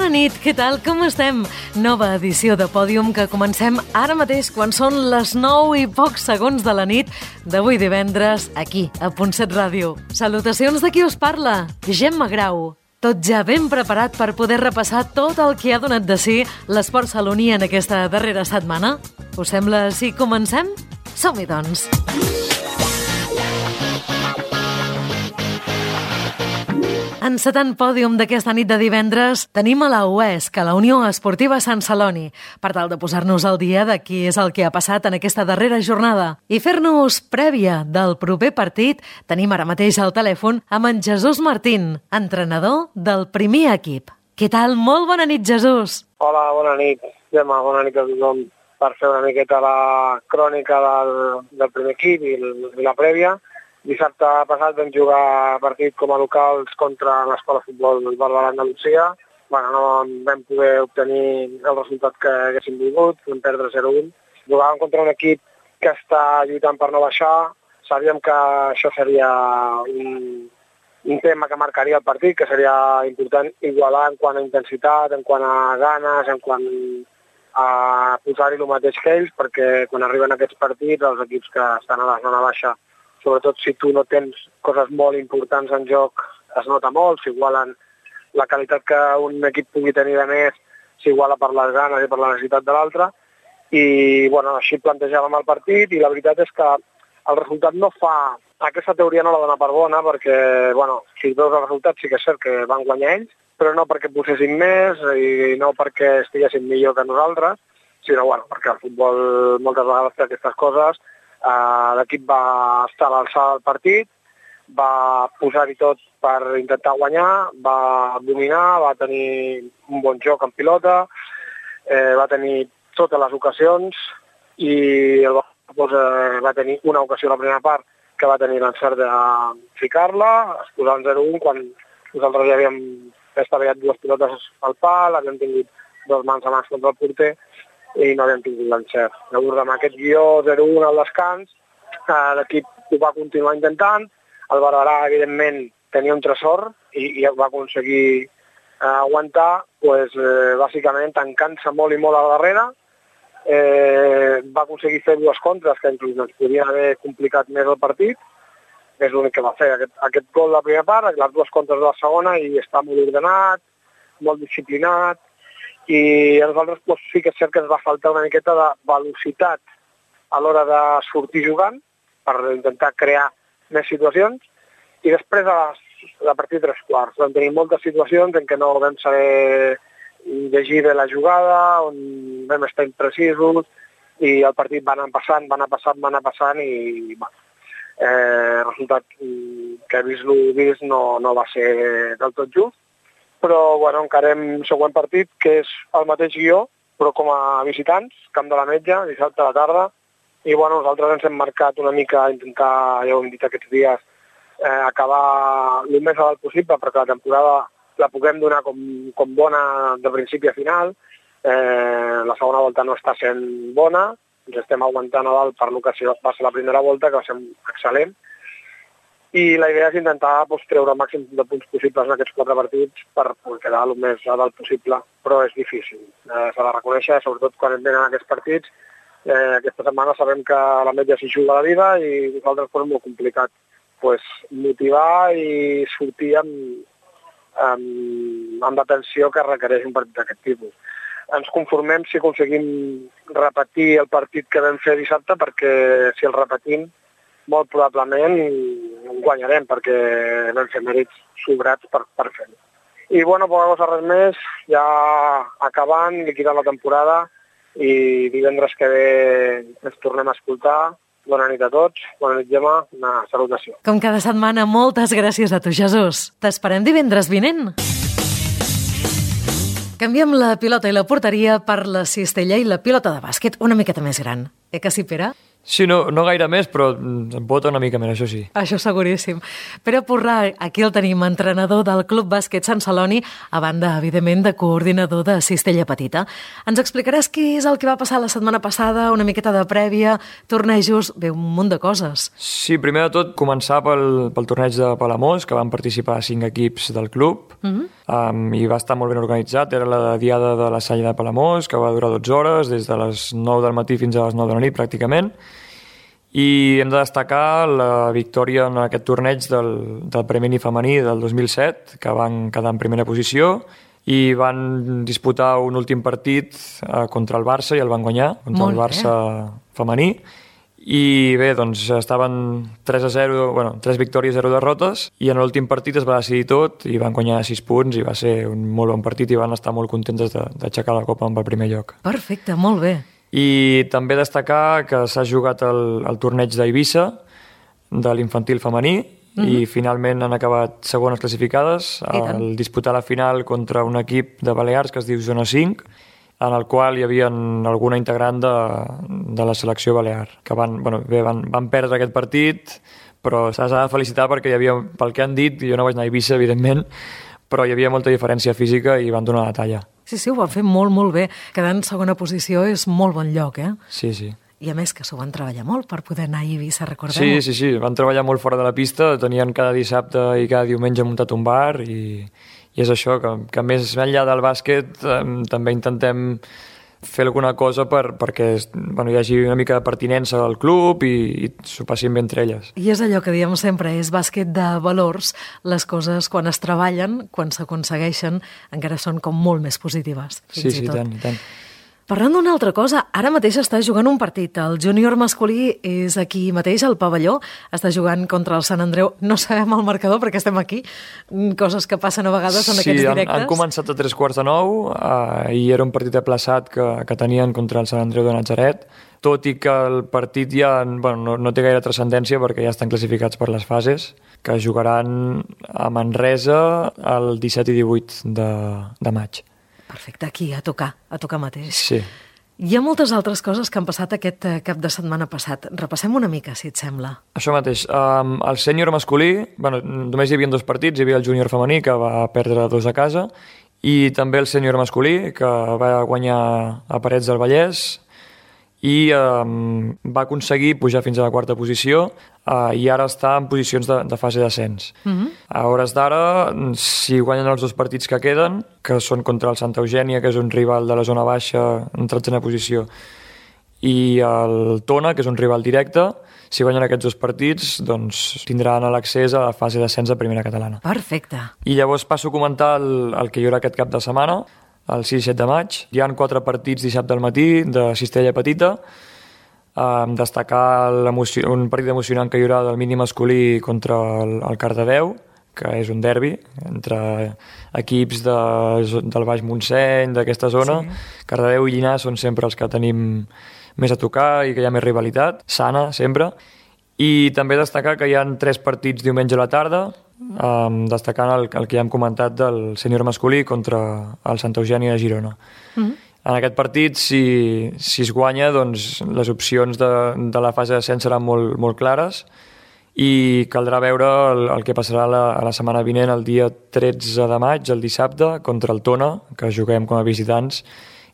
Bona nit, què tal? Com estem? Nova edició de Pòdium que comencem ara mateix quan són les 9 i pocs segons de la nit d'avui divendres aquí, a Punt7 Ràdio. Salutacions de qui us parla, Gemma Grau. Tot ja ben preparat per poder repassar tot el que ha donat de si l'esport saloní en aquesta darrera setmana? Us sembla si comencem? Som-hi, doncs! Encetant pòdium d'aquesta nit de divendres, tenim a la UESC, a la Unió Esportiva Sant Celoni, per tal de posar-nos al dia de qui és el que ha passat en aquesta darrera jornada. I fer-nos prèvia del proper partit, tenim ara mateix al telèfon amb en Jesús Martín, entrenador del primer equip. Què tal? Molt bona nit, Jesús! Hola, bona nit, Gemma, bona nit a tothom. Per fer una miqueta la crònica del primer equip i la prèvia. Dissabte passat vam jugar partit com a locals contra l'Escola de Futbol del Barberà d'Andalusia. No vam poder obtenir el resultat que haguéssim volgut, vam perdre 0-1. Jugàvem contra un equip que està lluitant per no baixar. Sabíem que això seria un tema que marcaria el partit, que seria important igualar en quant a intensitat, en quant a ganes, en quant a posar-hi el mateix que ells, perquè quan arriben aquests partits, els equips que estan a la zona baixa, sobretot si tu no tens coses molt importants en joc, es nota molt, s'igualen la qualitat que un equip pugui tenir de més, s'iguala per les ganes i per la necessitat de l'altre. I així plantejàvem el partit i la veritat és que el resultat no fa... Aquesta teoria no la dona per bona perquè, si veus el resultat sí que és cert que van guanyar ells, però no perquè posessin més i no perquè estiguessin millor que nosaltres, sinó perquè el futbol moltes vegades té aquestes coses. L'equip va estar a l'alçada del partit, va posar-hi tot per intentar guanyar, va dominar, va tenir un bon joc en pilota, va tenir totes les ocasions i el Barça va tenir una ocasió a la primera part que va tenir l'encert de ficar-la, es posava en 0-1 quan nosaltres ja havíem estavellat dues pilotes al pal, havíem tingut dos mans a mans contra el porter i no havíem tingut l'encert. Llavors, amb aquest guió 0-1 al descans, l'equip ho va continuar intentant. El Barberà, evidentment, tenia un tresor i va aconseguir aguantar, bàsicament tancant-se molt i molt a la darrere. Va aconseguir fer dues contres que inclús ens podien haver complicat més el partit. És l'únic que va fer, aquest gol de la primera part, les dues contres de la segona, i està molt ordenat, molt disciplinat. I a nosaltres sí que és cert que ens va faltar una miqueta de velocitat a l'hora de sortir jugant per intentar crear més situacions. I després, a partir de 3/4, vam tenir moltes situacions en què no vam saber llegir bé la jugada, on vam estar imprecisos i el partit va anar passant i el resultat que vist no va ser del tot just. Però encarem següent partit, que és el mateix guió, però com a visitants, Camp de la Metja, dissabte a la tarda. I nosaltres ens hem marcat una mica intentar, ja ho hem dit aquests dies, acabar el més alt possible perquè la temporada la puguem donar com bona de principi a final. La segona volta no està sent bona, ens estem aguantant a dalt per el que va ser la primera volta, que va ser excel·lent. I la idea és intentar treure el màxim de punts possibles en aquests 4 partits per quedar el més a dalt possible, però és difícil. S'ha de reconèixer, sobretot quan et venen aquests partits. Aquesta setmana sabem que la Metja s'hi juga la vida i nosaltres és molt complicat motivar i sortir amb la tensió que requereix un partit d'aquest tipus. Ens conformem si aconseguim repetir el partit que vam fer dissabte, perquè si el repetim molt probablement guanyarem, perquè vam fer mèrits sobrats per fer-ho. I poca cosa, res més, ja acabant, liquidant la temporada i divendres que ve ens tornem a escoltar. Bona nit a tots, bona nit, Gemma, una salutació. Com cada setmana, moltes gràcies a tu, Jesús. T'esperem divendres vinent. Canviem la pilota i la porteria per la cistella i la pilota de bàsquet una miqueta més gran. Que sí, Pere? Sí, no gaire més, però em bota una mica més, això sí. Això seguríssim. Pere Porrà, aquí el tenim, entrenador del Club Bàsquet Sant Celoni, a banda, evidentment, de coordinador de Cistella Petita. Ens explicaràs què és el que va passar la setmana passada, una miqueta de prèvia, tornejos, bé, un munt de coses. Sí, primer de tot, començar pel torneig de Palamós, que van participar 5 equips del club, i va estar molt ben organitzat. Era la diada de la Salla de Palamós, que va durar 12 hores, des de les 9 del matí fins a les 9 de la nit, pràcticament. I hem de destacar la victòria en aquest torneig del Premi Femení del 2007, que van quedar en primera posició i van disputar un últim partit contra el Barça i el van guanyar, contra el Barça femení. I bé, doncs estaven 3-0, 3 victòries, 0 derrotes, i en l'últim partit es va decidir tot i van guanyar 6 punts i va ser un molt bon partit i van estar molt contents d'aixecar la copa amb el primer lloc. Perfecte, molt bé. I també destacar que s'ha jugat el torneig d'Eivissa de l'infantil femení i finalment han acabat segones classificades al disputar la final contra un equip de Balears que es diu Zona 5, en el qual hi havia alguna integrant de la selecció balear, que van perdre aquest partit, però s'ha de felicitar perquè hi havia, pel que han dit, jo no vaig anar a Eivissa, evidentment, però hi havia molta diferència física i van donar la talla. Sí, ho van fer molt, molt bé. Quedar en segona posició és molt bon lloc, eh? Sí. I a més que s'ho van treballar molt per poder anar a Eivissa, recordem-ho. Sí, van treballar molt fora de la pista, tenien cada dissabte i cada diumenge muntat un bar i és això, que més enllà del bàsquet també intentem fer alguna cosa perquè hi hagi una mica de pertinença al club i s'ho passin bé entre elles. I és allò que diem sempre, és bàsquet de valors. Les coses, quan es treballen, quan s'aconsegueixen, encara són com molt més positives. Sí, i tant. Parlant d'una altra cosa, ara mateix està jugant un partit. El júnior masculí és aquí mateix, al pavelló. Està jugant contra el Sant Andreu. No sabem el marcador perquè estem aquí. Coses que passen a vegades en aquests directes. Sí, han començat a 8:45 i era un partit aplaçat que tenien contra el Sant Andreu de Natzaret, tot i que el partit ja no té gaire transcendència perquè ja estan classificats per les fases, que jugaran a Manresa el 17 i 18 de maig. Perfecte, aquí, a tocar mateix. Sí. Hi ha moltes altres coses que han passat aquest cap de setmana passat. Repassem una mica, si et sembla. Això mateix. El sènior masculí, només hi havia 2 partits, hi havia el júnior femení, que va perdre 2 a casa, i també el sènior masculí, que va guanyar a Parets del Vallès, i va aconseguir pujar fins a la 4a posició i ara està en posicions de fase d'ascens. A hores d'ara, si guanyen els 2 partits que queden, que són contra el Santa Eugènia, que és un rival de la zona baixa en 13a posició, i el Tona, que és un rival directe, si guanyen aquests 2 partits, doncs tindran l'accés a la fase d'ascens de primera catalana. Perfecte. I llavors passo a comentar el que hi haurà aquest cap de setmana, el 6 i 7 de maig. Hi ha 4 partits dissabte al matí de Cistella Petita. Destacar un partit emocionant que hi haurà del mini masculí contra el Cardedeu, que és un derbi entre equips del Baix Montseny, d'aquesta zona. Sí. Cardedeu i Llinars són sempre els que tenim més a tocar i que hi ha més rivalitat, sana sempre. I també destacar que hi ha 3 partits diumenge a la tarda, destacant el que ja hem comentat del sènior masculí contra el Santa Eugènia de Girona. En aquest partit, si es guanya, doncs les opcions de la fase d'ascens seran molt clares i caldrà veure el que passarà a la setmana vinent, el dia 13 de maig, el dissabte, contra el Tona, que juguem com a visitants,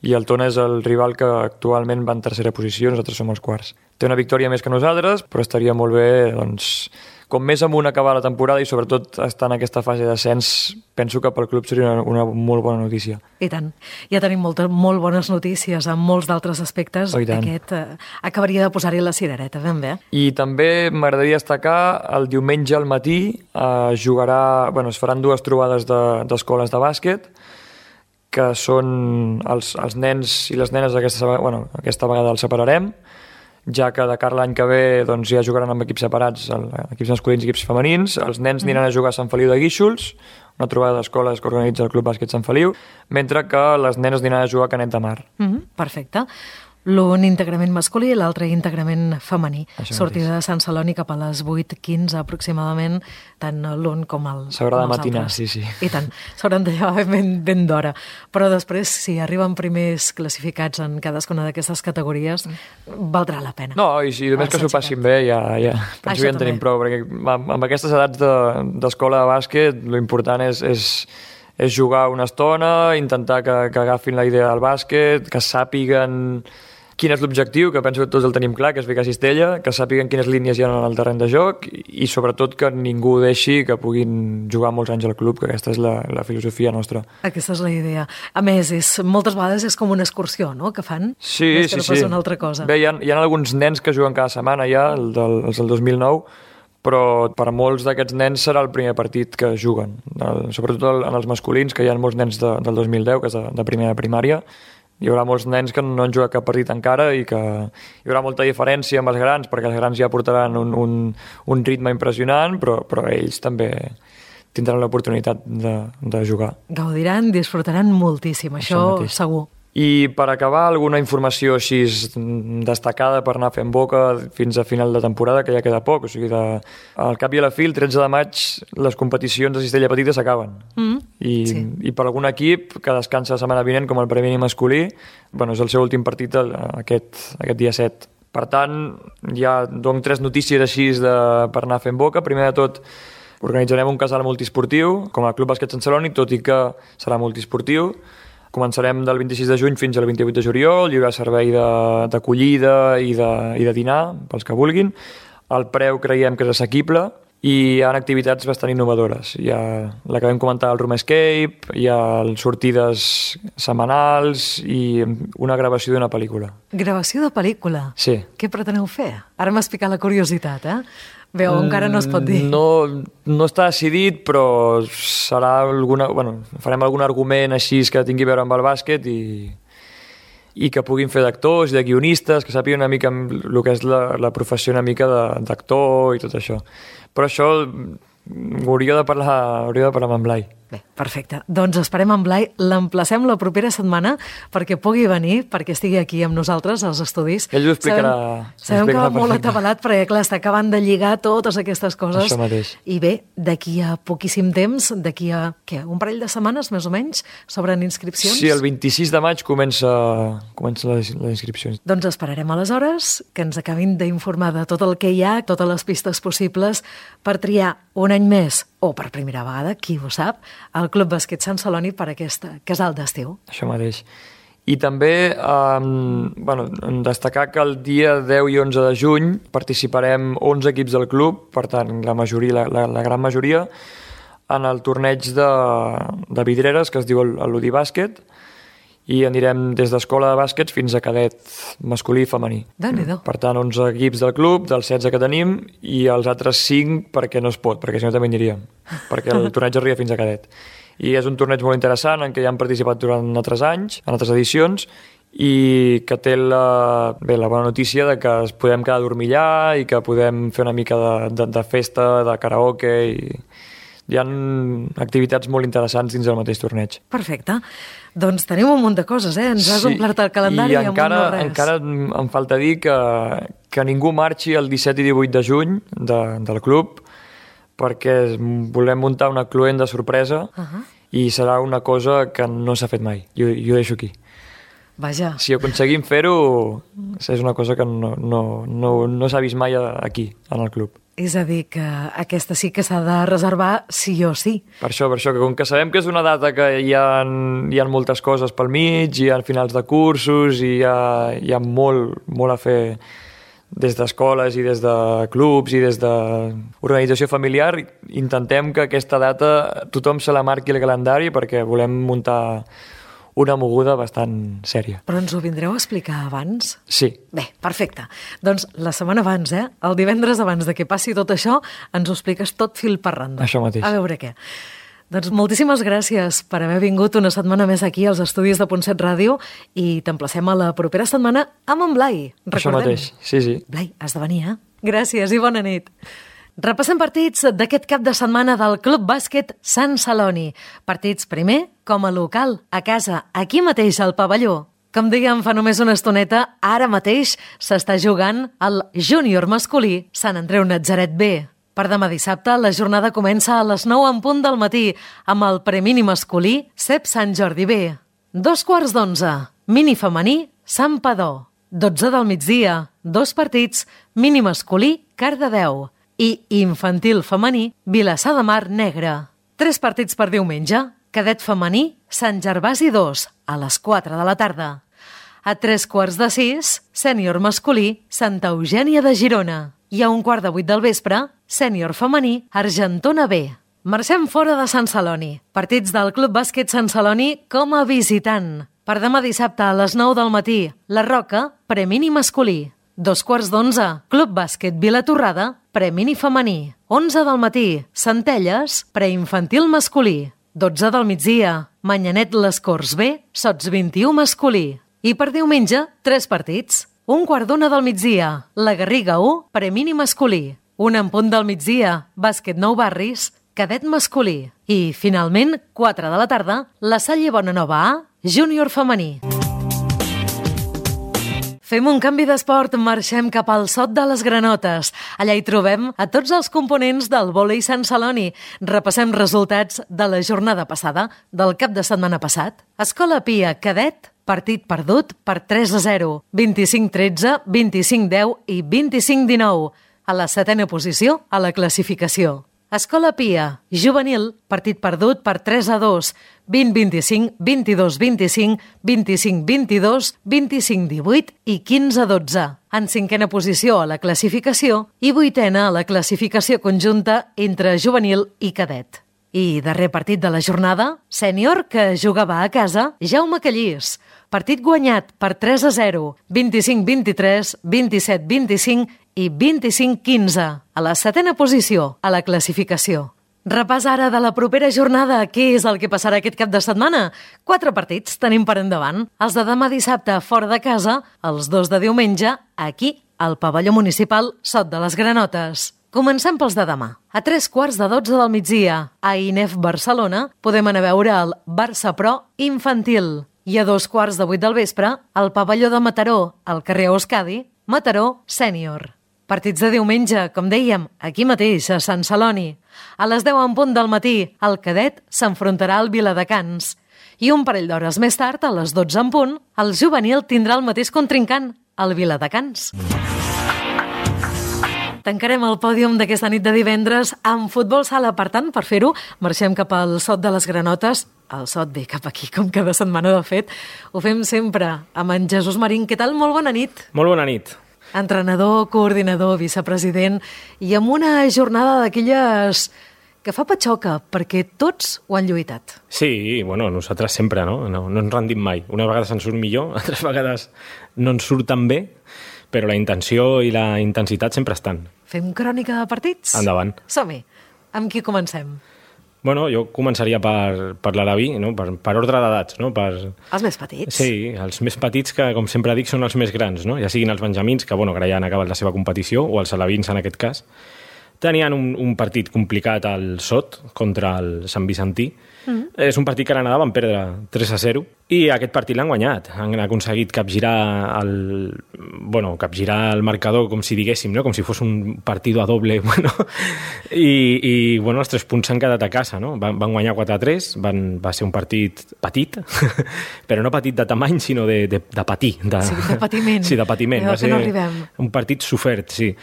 i el Tona és el rival que actualment va en 3a posició, nosaltres som els 4. Té una victòria més que nosaltres, però estaria molt bé, doncs, com més amunt acabar la temporada i sobretot estar en aquesta fase d'ascens, penso que pel club seria una molt bona notícia. I tant. Ja tenim molt bones notícies en molts d'altres aspectes. Aquest acabaria de posar-hi la cirereta, ben bé. I també m'agradaria destacar el diumenge al matí es faran 2 trobades d'escoles de bàsquet, que són els nens i les nenes aquesta vegada els separarem, ja que de cara l'any que ve ja jugaran amb equips separats, equips masculins i equips femenins. Els nens aniran a jugar a Sant Feliu de Guíxols, una trobada d'escoles que organitza el Club Bàsquet Sant Feliu, mentre que les nenes aniran a jugar a Canet de Mar. Perfecte. L'un íntegrament masculí i l'altre íntegrament femení. Això Sortida mateix. de Sant Celoni cap a les 8:15 aproximadament, tant l'un com S'haurà de els matinar, altres. sí. I tant, s'hauran de llevar ben d'hora. Però després, si arriben primers classificats en cadascuna d'aquestes categories, valdrà la pena. No, i si només que s'ho passin bé, ja penso Això que ja en tenim també. prou, perquè amb aquestes edats d'escola de bàsquet, l'important és jugar una estona, intentar que agafin la idea del bàsquet, que sàpiguen quin és l'objectiu, que penso que tots el tenim clar, que és ficar cistella, que sàpiguen quines línies hi ha en el terreny de joc i sobretot que ningú deixi que puguin jugar molts anys al club, que aquesta és la filosofia nostra. Aquesta és la idea. A més, moltes vegades és com una excursió, no?, que fan. Sí, més que no sí. pas una altra cosa. Bé, hi ha alguns nens que juguen cada setmana ja, els del 2009, però per a molts d'aquests nens serà el primer partit que juguen. Sobretot en els masculins, que hi ha molts nens del 2010, que és de primera primària. Hi haurà molts nens que no han jugat cap partit encara i que hi haurà molta diferència amb els grans, perquè els grans ja portaran un ritme impressionant, però ells també tindran l'oportunitat de jugar. Gaudiran, disfrutaran moltíssim, això mateix. segur. I per acabar, alguna informació així destacada per anar fent boca fins a final de temporada, que ja queda poc. O sigui, al cap i a la fi, el 13 de maig, les competicions de cistella petita s'acaben. I per algun equip que descansa la setmana vinent, com el premi masculí, és el seu últim partit aquest dia 7. Per tant, ja dono 3 notícies així per anar fent boca. Primer de tot, organitzarem un casal multiesportiu, com a Club Bàsquet Sant Celoni, tot i que serà multiesportiu. Començarem del 26 de juny fins al 28 de juliol, hi haurà servei d'acollida i de dinar, pels que vulguin. El preu creiem que és assequible i hi ha activitats bastant innovadores. Hi ha la que vam comentar, el Room Escape, hi ha sortides setmanals i una gravació d'una pel·lícula. Gravació de pel·lícula? Sí. Què preteneu fer? Ara m'has picat la curiositat, Veu, encara no es pot dir. No està decidit, però serà farem algun argument així que tingui a veure amb el bàsquet i que puguin fer d'actors i de guionistes, que sàpiguen una mica el que és la professió una mica d'actor i tot això. Però això hauria de parlar amb en Blai. Bé, perfecte. Doncs esperem en Blai, l'emplacem la propera setmana perquè pugui venir, perquè estigui aquí amb nosaltres als estudis. Ell ho explicarà. Sabem que va molt atabalat perquè, clar, està acabant de lligar totes aquestes coses. Això mateix. I bé, d'aquí a poquíssim temps, d'aquí a, un parell de setmanes, més o menys, s'obren inscripcions? Sí, el 26 de maig comença les inscripcions. Doncs esperarem aleshores que ens acabin d'informar de tot el que hi ha, totes les pistes possibles per triar un any més o per primera vegada, qui ho sap, al Club Bàsquet Sant Celoni per aquest casal d'estiu. Això mateix. I també destacar que el dia 10 i 11 de juny participarem 11 equips del club, per tant, la gran majoria, en el torneig de vidreres que es diu l'Udi Bàsquet, i anirem des d'escola de bàsquets fins a cadet masculí i femení. Déu-n'hi-do. Per tant, 11 equips del club, dels 16 que tenim, i els altres 5 perquè no es pot, perquè si no també aniríem, perquè el torneig arriba fins a cadet. I és un torneig molt interessant en què ja han participat durant altres anys, en altres edicions, i que té la bona notícia de que es podem quedar a dormir allà i que podem fer una mica de festa, de karaoke, i hi ha activitats molt interessants dins del mateix torneig. Perfecte. Doncs tenim un munt de coses, Ens has omplert el calendari amb un no res. Encara em falta dir que ningú marxi el 17 i 18 de juny del club, perquè volem muntar una cluent de sorpresa i serà una cosa que no s'ha fet mai. Jo ho deixo aquí. Vaja. Si aconseguim fer-ho, és una cosa que no s'ha vist mai aquí, en el club. És a dir, que aquesta sí que s'ha de reservar sí o sí. Per això, que com que sabem que és una data que hi ha moltes coses pel mig, hi ha finals de cursos, i hi ha molt a fer des d'escoles i des de clubs i des d'organització familiar, intentem que aquesta data tothom se la marqui al calendari perquè volem muntar una moguda bastant sèria. Però ens ho vindreu a explicar abans? Sí. Bé, perfecte. Doncs la setmana abans, el divendres abans de que passi tot això, ens ho expliques tot fil per randa. Això mateix. A veure què. Doncs moltíssimes gràcies per haver vingut una setmana més aquí als estudis de Punt 7 Ràdio i t'emplacem a la propera setmana amb en Blai. Recordem. Això mateix, sí. Blai, has de venir, Gràcies i bona nit. Repassem partits d'aquest cap de setmana del Club Bàsquet Sant Celoni. Partits primer com a local, a casa, aquí mateix al pavelló. Com dèiem fa només una estoneta, ara mateix s'està jugant el júnior masculí Sant Andreu Natzaret B. Per demà dissabte, la jornada comença a les 9 en punt del matí amb el premini masculí CEP Sant Jordi B. 2:15, mini femení Sant Padó. 12 del migdia, 2 partits, mini masculí Cardedeu i infantil femení Vilassar de Mar Negre. 3 partits per diumenge, cadet femení Sant Gervasi 2 a les 4 de la tarda. A 3:15, sènior masculí Santa Eugènia de Girona. I a 7:15 del vespre, sènior femení Argentona B. Marxem fora de Sant Celoni. Partits del Club Bàsquet Sant Celoni com a visitant. Per demà dissabte a les 9 del matí, La Roca, premini masculí. 2:15, Club Bàsquet Vilatorrada, premini femení. 11 del matí, Centelles, preinfantil masculí. 12 del migdia, Manyanet Les Corts B, Sots 21 masculí. I per diumenge, 3 partits. 1:15 del migdia, La Garriga 1, premini masculí. 1 en punt del migdia, Bàsquet Nou Barris, cadet masculí. I, finalment, 4 de la tarda, La Salle Bonanova A, júnior femení. Fem un canvi d'esport, marxem cap al Sot de les Granotes. Allà hi trobem a tots els components del vòlei Sant Celoni. Repassem resultats de la jornada passada, del cap de setmana passat. Escola Pia, cadet, partit perdut per 3-0, 25-13, 25-10 i 25-19. A la 7a posició a la classificació. Escola Pia, juvenil, partit perdut per 3-2, 20-25, 22-25, 25-22, 25-18 i 15-12. En 5a posició a la classificació i 8a a la classificació conjunta entre juvenil i cadet. I darrer partit de la jornada, sènior que jugava a casa, Jaume Callís. Partit guanyat per 3-0, 25-23, 27-25 i 25-15, a la 7a posició a la classificació. Repàs ara de la propera jornada. Què és el que passarà aquest cap de setmana? 4 partits tenim per endavant. Els de demà dissabte fora de casa, els 2 de diumenge, aquí, al pavelló municipal Sot de les Granotes. Comencem pels de demà. A 3:15 del migdia, a INEF Barcelona, podem anar a veure el Barça Pro infantil. I a 2:15 del vespre, al pavelló de Mataró, al carrer Euskadi, Mataró sènior. Partits de diumenge, com dèiem, aquí mateix, a Sant Celoni. A les 10 en punt del matí, el cadet s'enfrontarà al Viladecans. I un parell d'hores més tard, a les 12 en punt, el juvenil tindrà el mateix contrincant, el Viladecans. Tancarem el pòdium d'aquesta nit de divendres amb futbol sala. Per tant, per fer-ho, marxem cap al Sot de les Granotes. El Sot ve cap aquí, com cada setmana, de fet. Ho fem sempre amb en Jesús Marín. Què tal? Molt bona nit. Molt bona nit. Entrenador, coordinador, vicepresident, i amb una jornada d'aquelles que fa patxoca, perquè tots ho han lluitat. Sí, bueno, nosaltres sempre, no ens rendim mai. Unes vegades ens surt millor, altres vegades no ens surt tan bé, però la intenció i la intensitat sempre estan. Fem crònica de partits? Endavant. Som-hi. Amb qui comencem? Bueno, jo començaria per l'Alaví, no? per ordre d'edats. No? Els més petits? Sí, els més petits que, com sempre dic, són els més grans, no? Ja siguin els benjamins, que bueno, ara ja han acabat la seva competició, o els alevins en aquest cas. Tenien un partit complicat al Sot contra el Sant Vicentí. És un partit que a l'anada van perdre 3-0 i aquest partit l'han guanyat. Han aconseguit capgirar el marcador, com si diguéssim, no? Com si fos un partit a doble. Bueno. I els 3 punts s'han quedat a casa. No? Van guanyar 4-3, va ser un partit petit, però no petit de tamany, sinó de patir. Sí, de patiment. Sí, de patiment. Va ser un partit sofert, sí.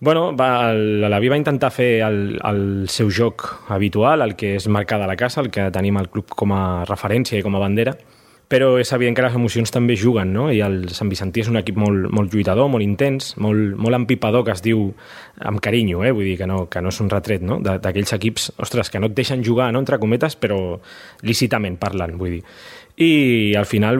Bueno, l'Alaví va intentar fer el seu joc habitual, el que és marcar de la casa, el que tenim al club com a referència i com a bandera, però és evident que les emocions també juguen, no? I el Sant Vicentí és un equip molt lluitador, molt intens, molt empipador, que es diu amb carinyo, vull dir que no és un retret, no? D'aquells equips, ostres, que no et deixen jugar, no? Entre cometes, però lícitament parlant, vull dir. I al final,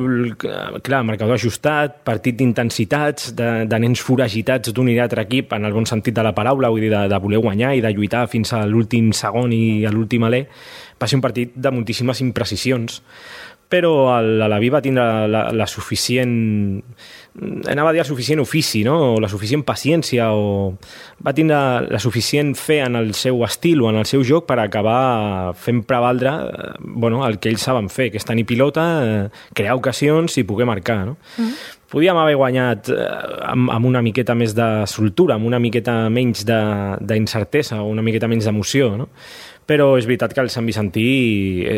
clar, marcador ajustat, partit d'intensitats, de nens foragitats d'un i l'altre equip, en el bon sentit de la paraula, vull dir, de voler guanyar i de lluitar fins a l'últim segon i a l'últim alè. Va ser un partit de moltíssimes imprecisions, però l'Alaví va tindre la suficient... Anava a dir el suficient ofici, no? O la suficient paciència, o va tindre la suficient fe en el seu estil o en el seu joc per acabar fent prevaldre el que ells saben fer, que és tenir pilota, crear ocasions i poder marcar, no? Podíem haver guanyat amb una miqueta més de soltura, amb una miqueta menys d'incertesa o una miqueta menys d'emoció, no? Però és veritat que el Sant Vicentí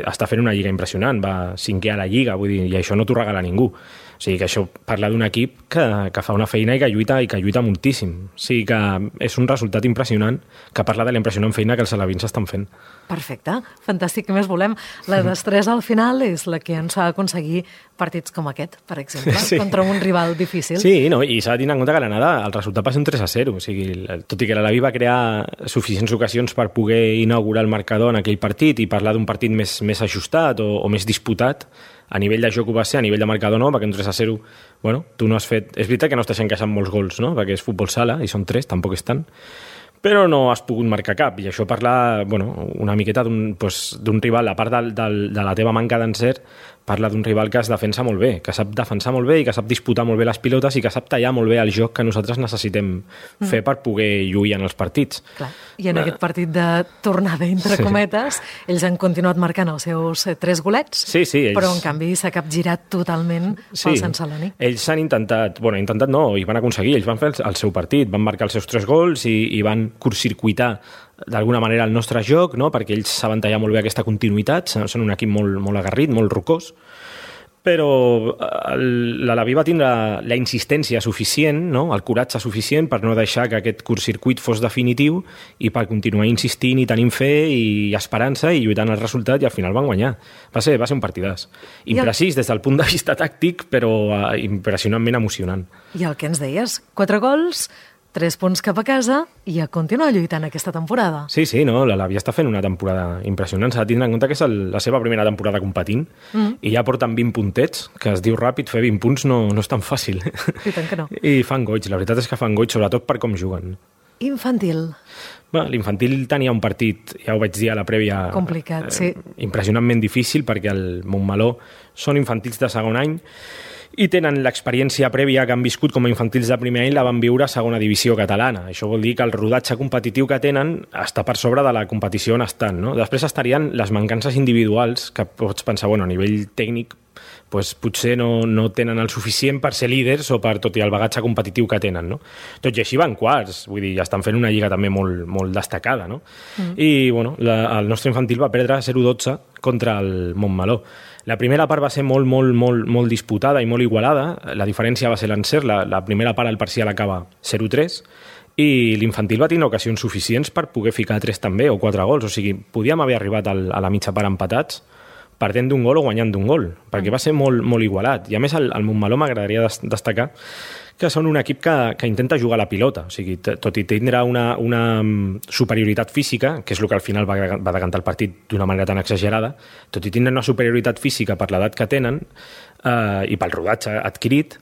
està fent una lliga impressionant, va 5è a la lliga, vull dir, i això no t'ho regala ningú. O sigui que això parla d'un equip que fa una feina i que lluita moltíssim. O sigui que és un resultat impressionant que parla de la impressionant feina que els alevins estan fent. Perfecte, fantàstic, què més volem? La destresa al final és la que ens fa aconseguir partits com aquest, per exemple, contra un rival difícil. Sí, no, i s'ha de tenir en compte que l'anada el resultat va ser un 3-0, o sigui, tot i que l'Alaví va crear suficients ocasions per poder inaugurar el marcador en aquell partit i parlar d'un partit més ajustat o més disputat, a nivell de joc ho va ser, a nivell de marcador no, perquè un 3-0, tu no has fet... És veritat que no estàs encaixant molts gols, no?, perquè és futbol sala i són 3, tampoc és tant, però no has pogut marcar cap, i això parla una miqueta d'un rival, a part de la teva manca d'encert, parla d'un rival que es defensa molt bé, que sap defensar molt bé i que sap disputar molt bé les pilotes i que sap tallar molt bé el joc que nosaltres necessitem fer per poder lluir en els partits. Clar. I en aquest partit de tornada, entre cometes, ells han continuat marcant els seus 3 golets, però en canvi s'ha capgirat totalment pel Sant Celoni. Ells han intentat no, i van aconseguir, ells van fer el seu partit, van marcar els seus 3 gols i van curtcircuitar d'alguna manera el nostre joc, no? Perquè ells saben tallar molt bé aquesta continuïtat, són un equip molt agarrit, molt rocós, però l'Alaví va tindre la insistència suficient, no? El coratge suficient per no deixar que aquest curtcircuit fos definitiu i per continuar insistint i tenint fe i esperança i lluitant el resultat, i al final van guanyar. Va ser un partidàs. Imprecís des del punt de vista tàctic, però impressionantment emocionant. I el que ens deies, 4 gols, 3 punts cap a casa i a continuar lluitant aquesta temporada. Sí, no, l'Alaví està fent una temporada impressionant. S'ha de tindre en compte que és la seva primera temporada competint i ja porten 20 puntets, que es diu ràpid, fer 20 punts no és tan fàcil. I tant que no. I fan goig, la veritat és que fan goig, sobretot per com juguen. Infantil. L'infantil tenia un partit, ja ho vaig dir a la prèvia, complicat, sí. Impressionantment difícil, perquè el Montmeló són infantils de segon any i tenen l'experiència prèvia que han viscut com a infantils de primer any, la van viure a segona divisió catalana. Això vol dir que el rodatge competitiu que tenen està per sobre de la competició on estan, no? Després estarien les mancances individuals, que pots pensar, a nivell tècnic, potser no tenen el suficient per ser líders o per tot i el bagatge competitiu que tenen, no? Tot i així van quarts, vull dir, estan fent una lliga també molt destacada, no? I, el nostre infantil va perdre 0-12 contra el Montmeló. La primera part va ser molt disputada i molt igualada. La diferència va ser l'encert. La primera part, el parcial acaba 0-3, i l'infantil va tenir ocasions suficients per poder ficar 3 també, o 4 gols. O sigui, podíem haver arribat a la mitja part empatats, perdent d'un gol o guanyant d'un gol, perquè va ser molt igualat. I a més, el Montmeló m'agradaria destacar que són un equip que intenta jugar a la pilota. O sigui, tot i tindre una superioritat física, que és el que al final va decantar el partit d'una manera tan exagerada, tot i tindre una superioritat física per l'edat que tenen i pel rodatge adquirit,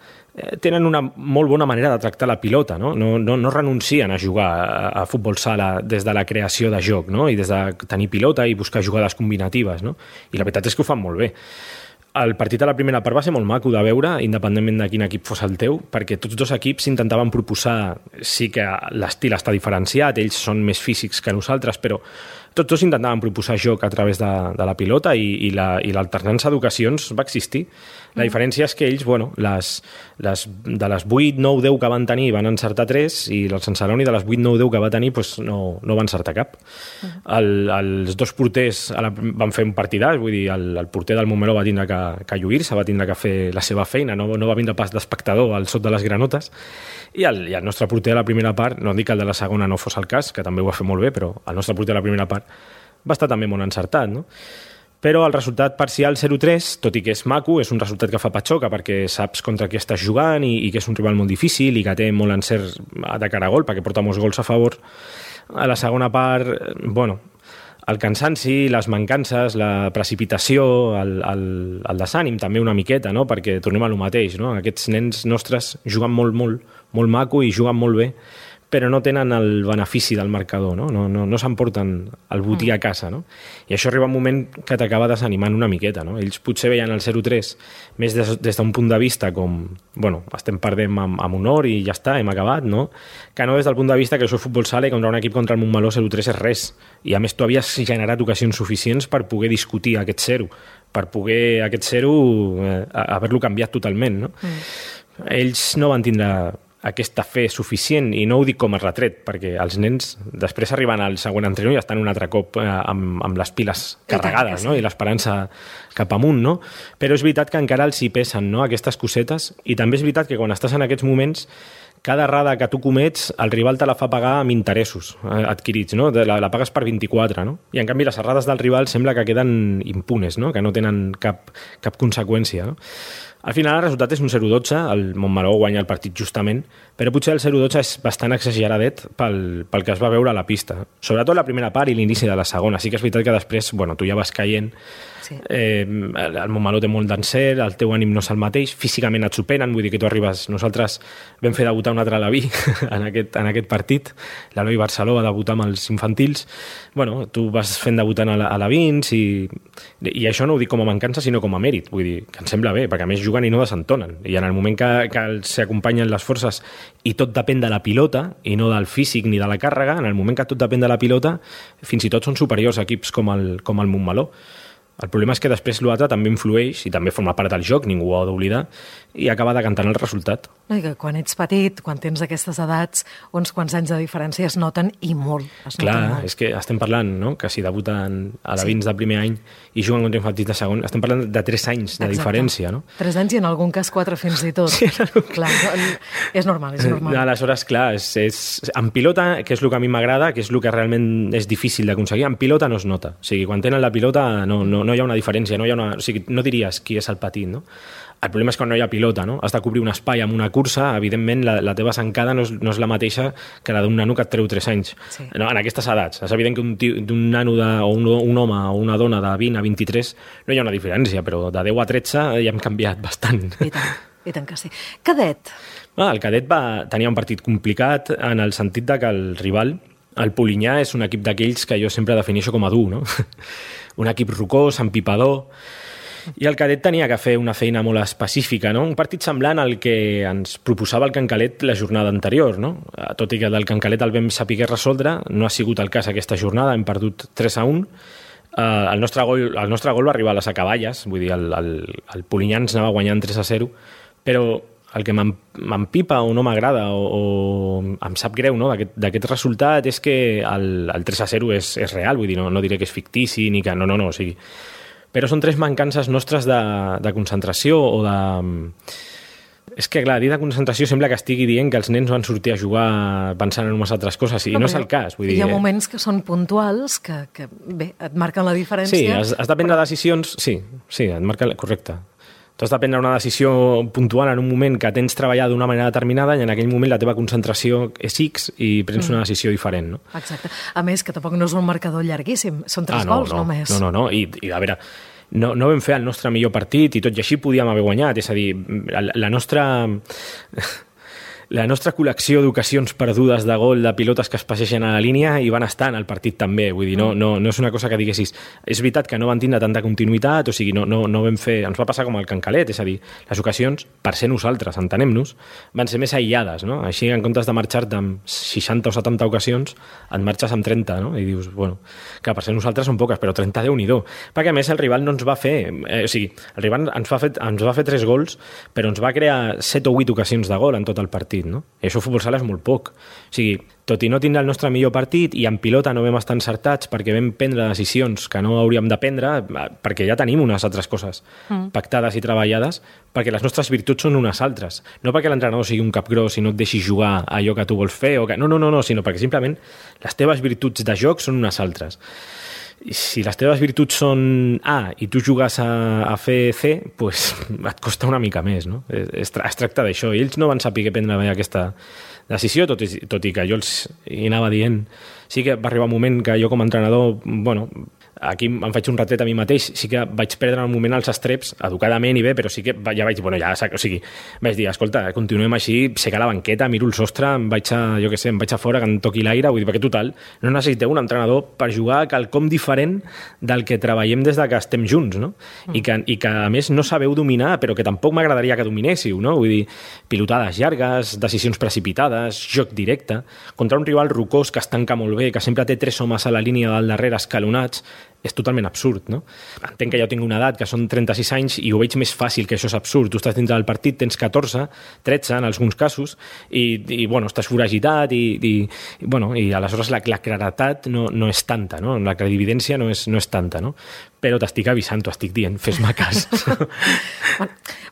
tenen una molt bona manera de tractar la pilota, no? No renuncien a jugar a futbol sala des de la creació de joc, no? I des de tenir pilota i buscar jugades combinatives, no? I la veritat és que ho fan molt bé. El partit a la primera part va ser molt maco de veure, independentment de quin equip fos el teu, perquè tots dos equips intentaven proposar, sí que l'estil està diferenciat, ells són més físics que nosaltres, però tots dos intentaven proposar joc a través de la pilota i l'alternança d'ocasions va existir. La diferència és que ells, de les 8, 9, 10 que van tenir van encertar 3 i el Sant Celoni de les 8, 9, 10 que va tenir no va encertar cap. Els dos porters van fer un partidàs, vull dir, el porter del Montmeló va tindre que lluir-se, va tindre que fer la seva feina, no va vindre pas d'espectador al sot de les granotes, i el nostre porter de la primera part, no dic que el de la segona no fos el cas, que també ho va fer molt bé, però el nostre porter de la primera part va estar també molt encertat, no? Però el resultat parcial 0-3, tot i que és maco, és un resultat que fa patxoca perquè saps contra qui estàs jugant i que és un rival molt difícil i que té molt encert de cara a gol perquè porta molts gols a favor. A la segona part, el cansanci, les mancances, la precipitació, el desànim també una miqueta, no? Perquè tornem a lo mateix, no? Aquests nens nostres juguen molt maco i juguen molt bé, però no tenen el benefici del marcador, no s'emporten el botí a casa, no? I això arriba un moment que t'acaba desanimant una miqueta, no? Ells potser veien el 0-3 més des d'un punt de vista com, bueno, estem perdent amb honor i ja està, hem acabat, no? Que no des del punt de vista que això és futbol sala i contra un equip contra el Montmeló 0-3 és res. I a més tu havies generat ocasions suficients per poder discutir aquest 0, per poder aquest 0 haver-lo canviat totalment, no? Ells no van tindre aquesta fe suficient, i no ho dic com a retret, perquè els nens després arriben al següent entrenador i estan un altre cop amb les piles carregades, no? I l'esperança cap amunt, no? Però és veritat que encara els hi pesen, no? Aquestes cosetes, i també és veritat que quan estàs en aquests moments cada errada que tu comets, el rival te la fa pagar amb interessos adquirits, no? La pagues per 24, no? I en canvi les errades del rival sembla que queden impunes, no? Que no tenen cap conseqüència, no? Al final el resultat és un 0-12, el Montmeló guanya el partit justament, però potser el 0-12 és bastant exageradet pel que es va veure a la pista. Sobretot la primera part i l'inici de la segona. Sí que és veritat que després, bueno, tu ja vas caient, sí. El Montmeló té molt d'encert, el teu ànim no és el mateix, físicament et superen, vull dir que tu arribes... Nosaltres vam fer debutar un altre Alaví en aquest partit, l'Eloi Barceló va debutar amb els infantils, bueno, tu vas fent debutant a Lavins i això no ho dic com a mancança sinó com a mèrit, vull dir, que em sembla bé, perquè a més juguen i no desentonen, i en el moment que s'acompanyen les forces i tot depèn de la pilota i no del físic ni de la càrrega, en el moment que tot depèn de la pilota fins i tot són superiors a equips com el Montmeló. El problema és que després l'altre també influeix i també forma part del joc, ningú ho ha d'oblidar, i acaba decantant el resultat. No, i que quan ets petit, quan tens aquestes edats, uns quants anys de diferència es noten i molt. Clar, és que estem parlant, no?, que si debuten a la Vins de primer any i juguen contra infantils de segon, estem parlant de 3 anys de diferència, no? 3 anys i en algun cas 4 fins i tot. Sí, clar, és normal, és normal. Aleshores, clar, en pilota, que és el que a mi m'agrada, que és el que realment és difícil d'aconseguir, en pilota no es nota. O sigui, quan tenen la pilota no hi ha una diferència, o sigui, no diries qui és el petit, no? El problema és quan no hi ha pilota, no? Has de cobrir un espai amb una cursa, evidentment la teva zancada no és la mateixa que la d'un nano que et treu 3 anys. Sí. No, en aquestes edats. És evident que d'un nano o un home o una dona de 20 a 23 no hi ha una diferència, però de 10 a 13 ja hem canviat bastant. I tant que sí. Cadet. El cadet tenia un partit complicat en el sentit de que el rival, el Polinyà, és un equip d'aquells que jo sempre defineixo com a dur, no? Un equip rocós, empipador, i el cadet tenia que fer una feina molt específica, no? Un partit semblant al que ens proposava el Cancalet la jornada anterior, no? Tot i que del Cancalet el vam saber resoldre, no ha sigut el cas aquesta jornada, hem perdut 3-1. El nostre gol va arribar a les acaballes, vull dir, el Polinyà ens anava guanyant 3-0, però el que m'empipa o no m'agrada o em sap greu, no, d'aquest resultat és que el 3-0 és real, vull dir, no diré que és fictici ni que no, o sigui... Però són 3 mancances nostres de concentració o de... És que, clar, dir de concentració sembla que estigui dient que els nens van sortir a jugar pensant en unes altres coses, i no és el cas. Vull dir, hi ha moments que són puntuals, que bé, et marquen la diferència. Sí, has de prendre decisions... Sí, et marca... Correcte. Tu has de prendre una decisió puntual en un moment que tens treballat d'una manera determinada i en aquell moment la teva concentració és X i prens una decisió diferent, no? Exacte. A més, que tampoc no és un marcador llarguíssim, són 3 gols només. No, i a veure, no vam fer el nostre millor partit i tot i així podíem haver guanyat, és a dir, la nostra col·lecció d'ocasions perdudes de gol de pilotes que es passegen a la línia i van estar en el partit també, vull dir, no és una cosa que diguessis, és veritat que no van tindre tanta continuïtat, o sigui, no vam fer, ens va passar com el Cancalet, és a dir, les ocasions, per ser nosaltres, entenem-nos, van ser més aïllades, no? Així, en comptes de marxar-te amb 60 o 70 ocasions, et marxes amb 30, no? I dius, bueno, que per ser nosaltres són poques, però 30 Déu-n'hi-do, perquè a més el rival no ens va fer, o sigui, el rival ens va fer 3 gols, però ens va crear 7 o 8 ocasions de gol en tot el partit, no? I això a futbol sala és molt poc. O sigui, tot i no tindre el nostre millor partit i en pilota no vam estar encertats perquè vam prendre decisions que no hauríem de prendre, perquè ja tenim unes altres coses pactades i treballades, perquè les nostres virtuts són unes altres. No perquè l'entrenador sigui un capgros i no et deixi jugar allò que tu vols fer, o que... no, sinó perquè simplement les teves virtuts de joc són unes altres. I si les teves virtuts són A i tu jugues a fer C, pues et costa una mica més, no? Es tracta d'això. I ells no van saber prendre bé aquesta decisió, tot i que jo els hi anava dient. Sí que va arribar un moment que jo com a entrenador, bueno, aquí em faig un retret a mi mateix, sí que vaig perdre en un moment els estreps, educadament i bé, però sí que ja vaig, o sigui, vaig dir, escolta, continuem així, sé que a la banqueta, miro el sostre, em vaig a fora, que em toqui l'aire, vull dir, perquè total, no necessiteu un entrenador per jugar a quelcom diferent del que treballem des de que estem junts, no? I que a més no sabeu dominar, però que tampoc m'agradaria que dominéssiu, no? Vull dir, pilotades llargues, decisions precipitades, joc directe, contra un rival rocós que es tanca molt bé, que sempre té 3 homes a la línia del darrere escalonats, és totalment absurd, no? Entenc que ja tinc una edat, que són 36 anys, i ho veig més fàcil, que això és absurd. Tu estàs dintre del partit, tens 14, 13 en alguns casos, i bueno, estàs foragitat, i aleshores la claredat no és tanta, no? La clarividència no és tanta, no? Però t'estic avisant, t'ho estic dient, fes-me cas.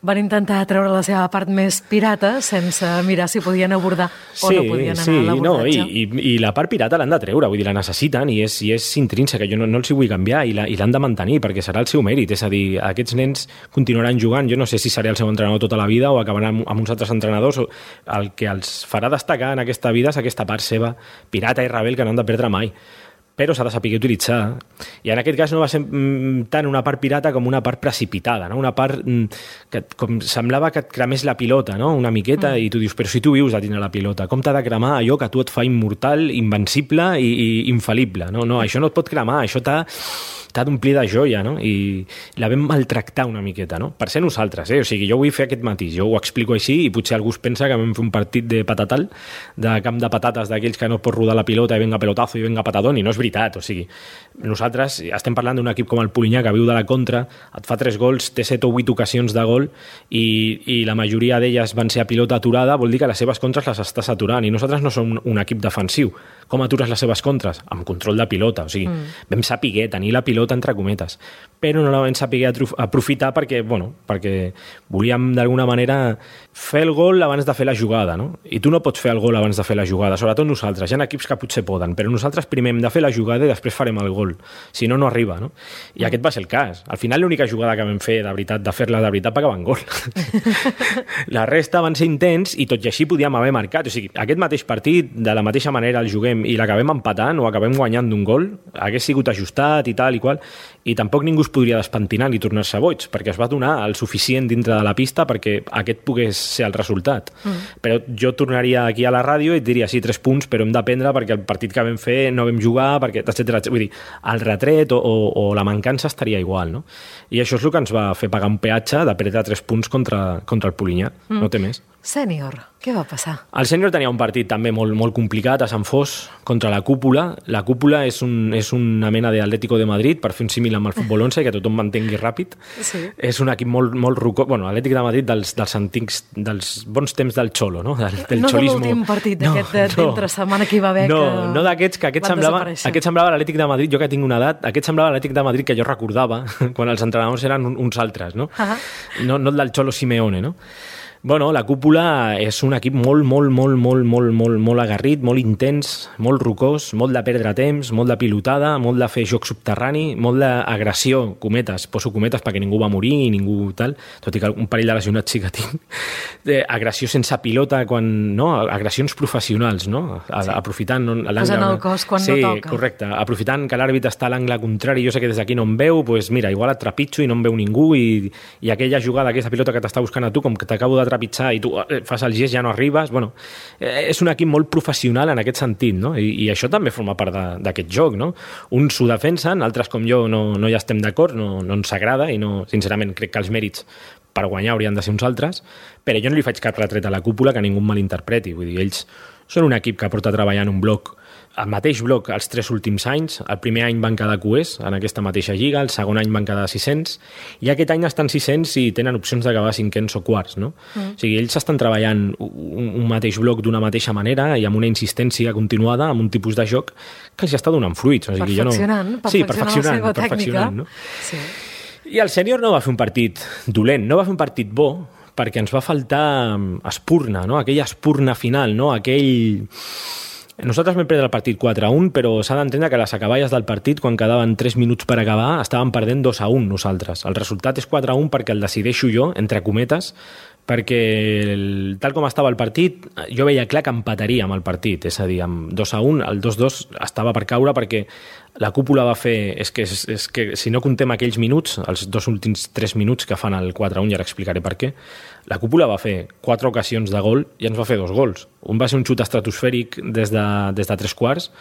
Van intentar treure la seva part més pirata sense mirar si podien abordar o no podien anar a l'abordatge. I la part pirata l'han de treure, vull dir, la necessiten i és intrínseca, jo no els hi vull canviar i l'han de mantenir perquè serà el seu mèrit, és a dir, aquests nens continuaran jugant, jo no sé si seré el seu entrenador tota la vida o acabaran amb uns altres entrenadors, el que els farà destacar en aquesta vida és aquesta part seva pirata i rebel que no han de perdre mai, però s'ha de saber utilitzar. I en aquest cas no va ser tant una part pirata com una part precipitada, no? Una part que com semblava que et cremés la pilota, no? Una miqueta, i tu dius, però si tu vius a tindre la pilota, com t'ha de cremar allò que a tu et fa immortal, invencible i infal·lible? No, això no et pot cremar, això t'ha d'omplir de joia, no? I la vam maltractar una miqueta, no? Per ser nosaltres, O sigui, jo vull fer aquest matís, jo ho explico així i potser algú es pensa que vam fer un partit de patatal, de camp de patates d'aquells que no pot rodar la pilota i venga pelotazo i venga patadón, i no és veritat, o sigui, nosaltres estem parlant d'un equip com el Polinyà que viu de la contra, et fa 3 gols, té 7 o 8 ocasions de gol i la majoria d'elles van ser a pilota aturada, vol dir que les seves contres les estàs aturant i nosaltres no som un equip defensiu. Com atures les seves contres? Amb control de pilota, o sigui, vam saber tenir la pilota entre cometes, però no la vam saber aprofitar perquè volíem d'alguna manera fer el gol abans de fer la jugada, no? I tu no pots fer el gol abans de fer la jugada, sobretot nosaltres, hi ha equips que potser poden, però nosaltres primer hem de fer la jugada i després farem el gol, si no, no arriba, no? I aquest va ser el cas. Al final l'única jugada que vam fer de veritat, de fer-la de veritat, va acabar en gol. La resta van ser intents i tot i així podíem haver marcat, o sigui, aquest mateix partit, de la mateixa manera el juguem i l'acabem empatant o acabem guanyant d'un gol, hagués sigut ajustat i tal i qual, i tampoc ningú es podria despentinar ni tornar-se boig, perquè es va donar el suficient dintre de la pista perquè aquest pogués ser el resultat. Però jo tornaria aquí a la ràdio i et diria, sí, 3 punts, però hem d'aprendre perquè el partit que vam fer no vam jugar, perquè, etc. Vull dir, el retret o la mancança estaria igual, no? I això és el que ens va fer pagar un peatge de perdre 3 punts contra el Polinyà, no té més. Sènior, què va passar? El sènior tenia un partit també molt complicat a Sant Fos contra la Cúpula. La Cúpula és una mena d'Atlético de Madrid, per fer un símil amb el futbol 11, que tothom m'entengui ràpid. Sí. És un equip molt rocó. Bueno, l'Atlètic de Madrid dels antics, dels bons temps del Xolo, no? Del no xolismo. De l'últim partit d'aquest d'entre setmana que hi va haver no d'aquests, que aquest semblava l'Atlètic de Madrid, jo que tinc una edat, aquest semblava l'Atlètic de Madrid que jo recordava quan els entrenadors eren uns altres, no? No el del Xolo Simeone, no? Bueno, la Cúpula és un equip molt agarrit, molt intens, molt rocós, molt de perdre temps, molt de pilotada, molt de fer joc subterrani, molt d'agressió, cometes, poso cometes perquè ningú va morir i ningú tal, tot i que un parell de lesionats sí que tinc, agressió sense pilota, agressions professionals, no? Aprofitant l'angle... Posant el cos quan no toca. Sí, correcte. Aprofitant que l'àrbitre està a l'angle contrari, jo sé que des d'aquí no em veu, doncs mira, igual et trepitjo i no em veu ningú i aquella jugada, aquesta pilota que t'està buscant a tu, com que t'acabo de trepitjar i tu fas el gest, ja no arribes. Bueno, és un equip molt professional en aquest sentit, no? I això també forma part d'aquest joc, no? Uns s'ho defensen, altres com jo no hi estem d'acord, no ens agrada i no, sincerament crec que els mèrits per guanyar haurien de ser uns altres, però jo no li faig cap retret a la Cúpula que ningú malinterpreti. Vull dir, ells són un equip que porta treballant un bloc, el mateix bloc els 3 últims anys. El primer any van quedar cuers en aquesta mateixa lliga, el segon any van quedar 600 i aquest any estan 600 i tenen opcions d'acabar 500 o quarts, no? O sigui, ells estan treballant un mateix bloc d'una mateixa manera i amb una insistència continuada, amb un tipus de joc que els està donant fruits. O sigui, perfeccionant la seva tècnica. No? Sí. I el sènior no va fer un partit dolent, no va fer un partit bo, perquè ens va faltar espurna, no? Aquella espurna final, no? Nosaltres vam perdre el partit 4-1, però s'ha d'entendre que les acaballes del partit, quan quedaven 3 minuts per acabar, estàvem perdent 2-1 nosaltres. El resultat és 4-1 perquè el decideixo jo, entre cometes, perquè tal com estava el partit, jo veia clar que empataríem el partit, és a dir, amb 2-1, el 2-2 estava per caure perquè la cúpula va fer... És que si no contem aquells minuts, els 2 últims 3 minuts que fan el 4-1, ja explicaré per què, la cúpula va fer 4 ocasions de gol i ens va fer 2 gols. Un va ser un xut estratosfèric des de 3 quarts.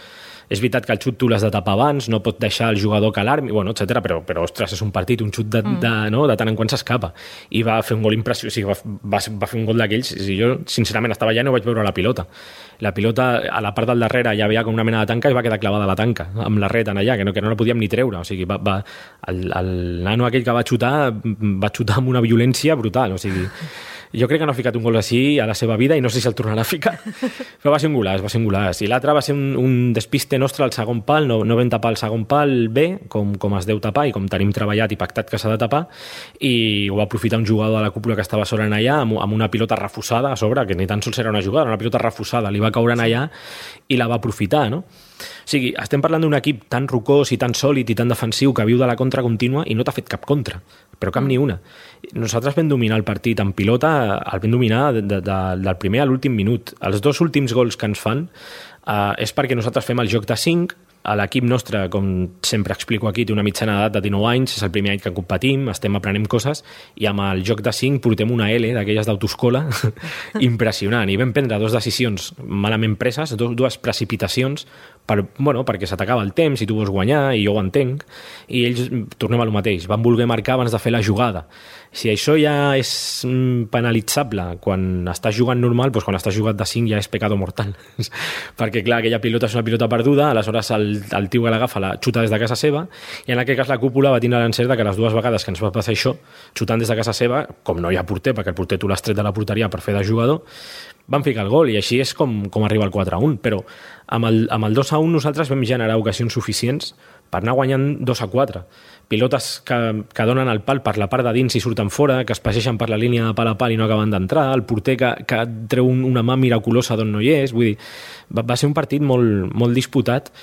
És veritat que el xut tu l'has de tapar abans, no pot deixar el jugador que l'armi, bueno, etc. Però ostres, és un partit, un xut de tant en quant s'escapa. I va fer un gol impressionant, o sigui, va fer un gol d'aquells, i jo, sincerament, estava allà i no vaig veure la pilota. La pilota, a la part del darrere, ja veia com una mena de tanca i va quedar clavada a la tanca, amb la ret en allà, que no la podíem ni treure. O sigui, el nano aquell que va xutar amb una violència brutal, o sigui... Jo crec que no ha ficat un gol així a la seva vida i no sé si el tornarà a ficar. Però va ser un golaç. I l'altre va ser un despiste nostre al segon pal, no vam tapar el segon pal bé, com es deu tapar i com tenim treballat i pactat que s'ha de tapar, i ho va aprofitar un jugador de la cúpula que estava sobre allà amb una pilota refusada a sobre, que ni tan sols era una jugada, una pilota refusada, li va caure allà i la va aprofitar, no? O sigui, estem parlant d'un equip tan rocós i tan sòlid i tan defensiu que viu de la contra contínua i no t'ha fet cap contra, però cap ni una. Nosaltres vam dominar el partit en pilota, el vam dominar del primer a l'últim minut. Els 2 últims gols que ens fan és perquè nosaltres fem el joc de 5. L'equip nostre, com sempre explico aquí, té una mitjana d'edat de 19 anys, és el primer any que competim, estem aprenent coses, i amb el joc de 5 portem una L d'aquelles d'autoescola impressionant. I vam prendre 2 decisions malament preses, 2 precipitacions, perquè s'atacava el temps i tu vols guanyar, i jo ho entenc, i ells, tornem a lo mateix, van voler marcar abans de fer la jugada. Si això ja és penalitzable quan estàs jugant normal, doncs quan estàs jugant de 5 ja és pecado mortal. Perquè, clar, aquella pilota és una pilota perduda, aleshores el tio que l'agafa la xuta des de casa seva, i en aquest cas la cúpula va tindre l'encert que les 2 vegades que ens va passar això, xutant des de casa seva, com no hi ha porter, perquè el porter tu l'has tret de la porteria per fer de jugador, van ficar el gol, i així és com arriba el 4-1. Però amb el 2-1 nosaltres vam generar ocasions suficients per anar guanyant 2-4. Pilotes que donen el pal per la part de dins i surten fora, que es passegen per la línia de pal a pal i no acaben d'entrar, el porter que treu una mà miraculosa d'on no hi és. Vull dir, va ser un partit molt, molt disputat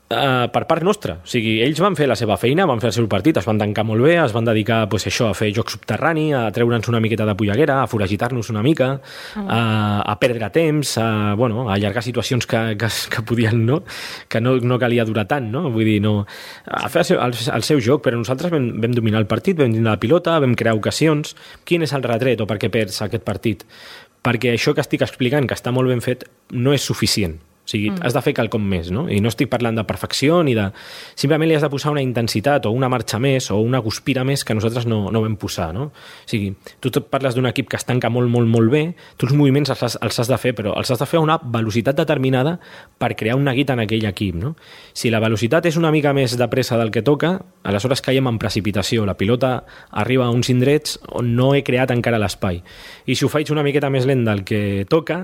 per part nostra. O sigui, ells van fer la seva feina, van fer el seu partit, es van tancar molt bé, es van dedicar a fer joc subterrani, a treure'ns una miqueta de polleguera, a foragitar-nos una mica, a perdre temps, a allargar situacions que podien, no? Que no calia durar tant, no? Vull dir, no... A fer el seu joc, però nosaltres vam dominar el partit, vam dominar la pilota, vam crear ocasions. Quin és el retret o per què perds aquest partit? Perquè això que estic explicant, que està molt ben fet, no és suficient. O sigui, has de fer quelcom més, no? I no estic parlant de perfecció ni de... Simplement li has de posar una intensitat o una marxa més o una guspira més que nosaltres no vam posar, no? O sigui, tu parles d'un equip que es tanca molt, molt, molt bé, tu els moviments els has de fer, però els has de fer a una velocitat determinada per crear un neguit en aquell equip, no? Si la velocitat és una mica més de pressa del que toca, aleshores caiem en precipitació. La pilota arriba a uns indrets on no he creat encara l'espai. I si ho faig una miqueta més lent del que toca,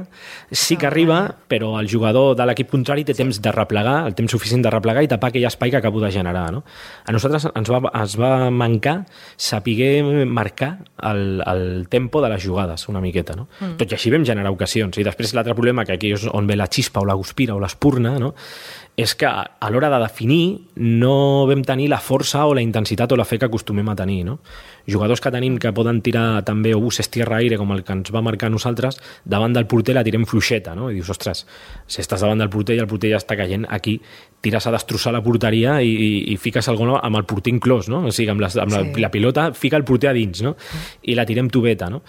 sí que arriba, però el jugador de l'equip contrari té temps de replegar, el temps suficient de replegar i tapar aquell espai que acabo de generar, no? A nosaltres ens va mancar saber marcar el tempo de les jugades una miqueta, no? Tot i així vam generar ocasions. I després l'altre problema, que aquí és on ve la xispa o la guspira o l'espurna, no? És que a l'hora de definir no vam tenir la força o la intensitat o la fe que acostumem a tenir, no? Jugadors que tenim que poden tirar també obuses tierra-aire, com el que ens va marcar nosaltres, davant del porter la tirem fluixeta, no? I dius, ostres, si estàs davant del porter i el porter ja està caient, aquí tires a destrossar la porteria i fiques el gol amb el porter inclòs, no? O sigui, la pilota fica el porter a dins, no? I la tirem tubeta, no?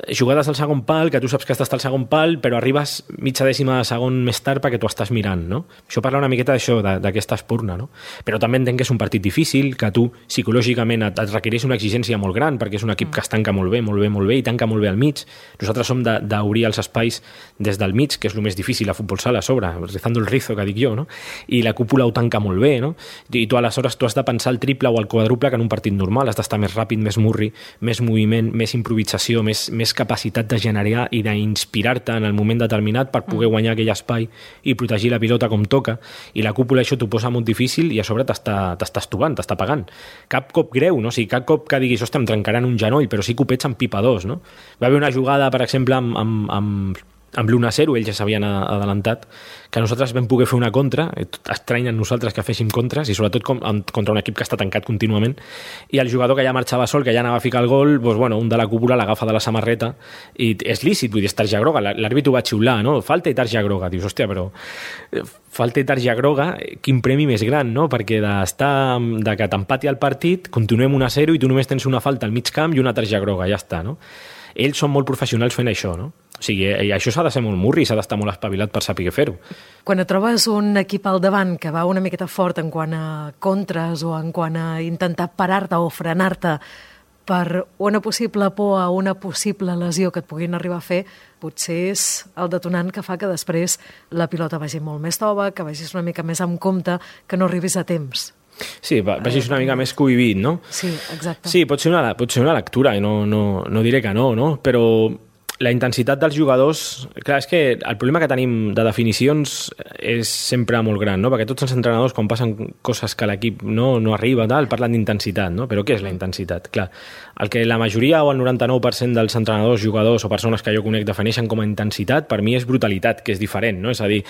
Jugades al segon pal, que tu saps que estàs al segon pal, però arribes mitja dècima de segon més tard perquè tu estàs mirant, no? Això parla una miqueta d'això, d'aquesta espurna, no? Però també entenc que és un partit difícil, que tu psicològicament et requereix una exigència molt gran, perquè és un equip que es tanca molt bé, molt bé, molt bé, i tanca molt bé al mig. Nosaltres som d'obrir els espais des del mig, que és el més difícil a futbol sala a sobre, rezando el rizo, que dic jo, no? I la cúpula ho tanca molt bé, no? I tu aleshores has de pensar el triple o el quadruple que en un partit normal, has d'estar més ràpid, més murri, més moviment, més improvisació, més capacitat de generar i d'inspirar-te en el moment determinat per poder guanyar aquell espai i protegir la pilota com toca, i la cúpula això t'ho posa molt difícil i a sobre t'estàs tubant, t'està pagant. Cap cop greu, no? O sigui, cap cop que diguis, ostres, em trencaran un genoll, però sí copets amb pipa 2, no? Va haver una jugada, per exemple, amb amb l'1-0, ells ja s'havien adelantat, que nosaltres vam poder fer una contra, estrany en nosaltres que féssim contres, i sobretot contra un equip que està tancat contínuament, i el jugador que ja marxava sol, que ja anava a ficar el gol, doncs, bueno, un de la cúpula l'agafa de la samarreta, i és lícit, vull dir, és targeta groga, l'àrbit ho va xiular, no? Falta i targeta groga, dius, hòstia, però falta i targeta groga, quin premi més gran, no? Perquè de que t'empati el partit, continuem 1-0 i tu només tens una falta al mig camp i una targeta groga, ja està, no? Ells són molt professionals fent això, no? O sigui, això s'ha de ser molt murri, s'ha d'estar molt espavilat per saber fer-ho. Quan et trobes un equip al davant que va una miqueta fort en quant a contres o en quant a intentar parar-te o frenar-te per una possible por a una possible lesió que et puguin arribar a fer, potser és el detonant que fa que després la pilota vagi molt més tova, que vagis una mica més amb compte, que no arribis a temps. Sí, vagis una mica més cohibit, no? Sí, exacte. Sí, pot ser una lectura, i no diré que no? Però la intensitat dels jugadors... Clar, és que el problema que tenim de definicions és sempre molt gran, no? Perquè tots els entrenadors, quan passen coses que l'equip no arriba, parlen d'intensitat, no? Però què és la intensitat? Clar, el que la majoria o el 99% dels entrenadors, jugadors o persones que jo conec defineixen com a intensitat, per mi és brutalitat, que és diferent, no? És a dir,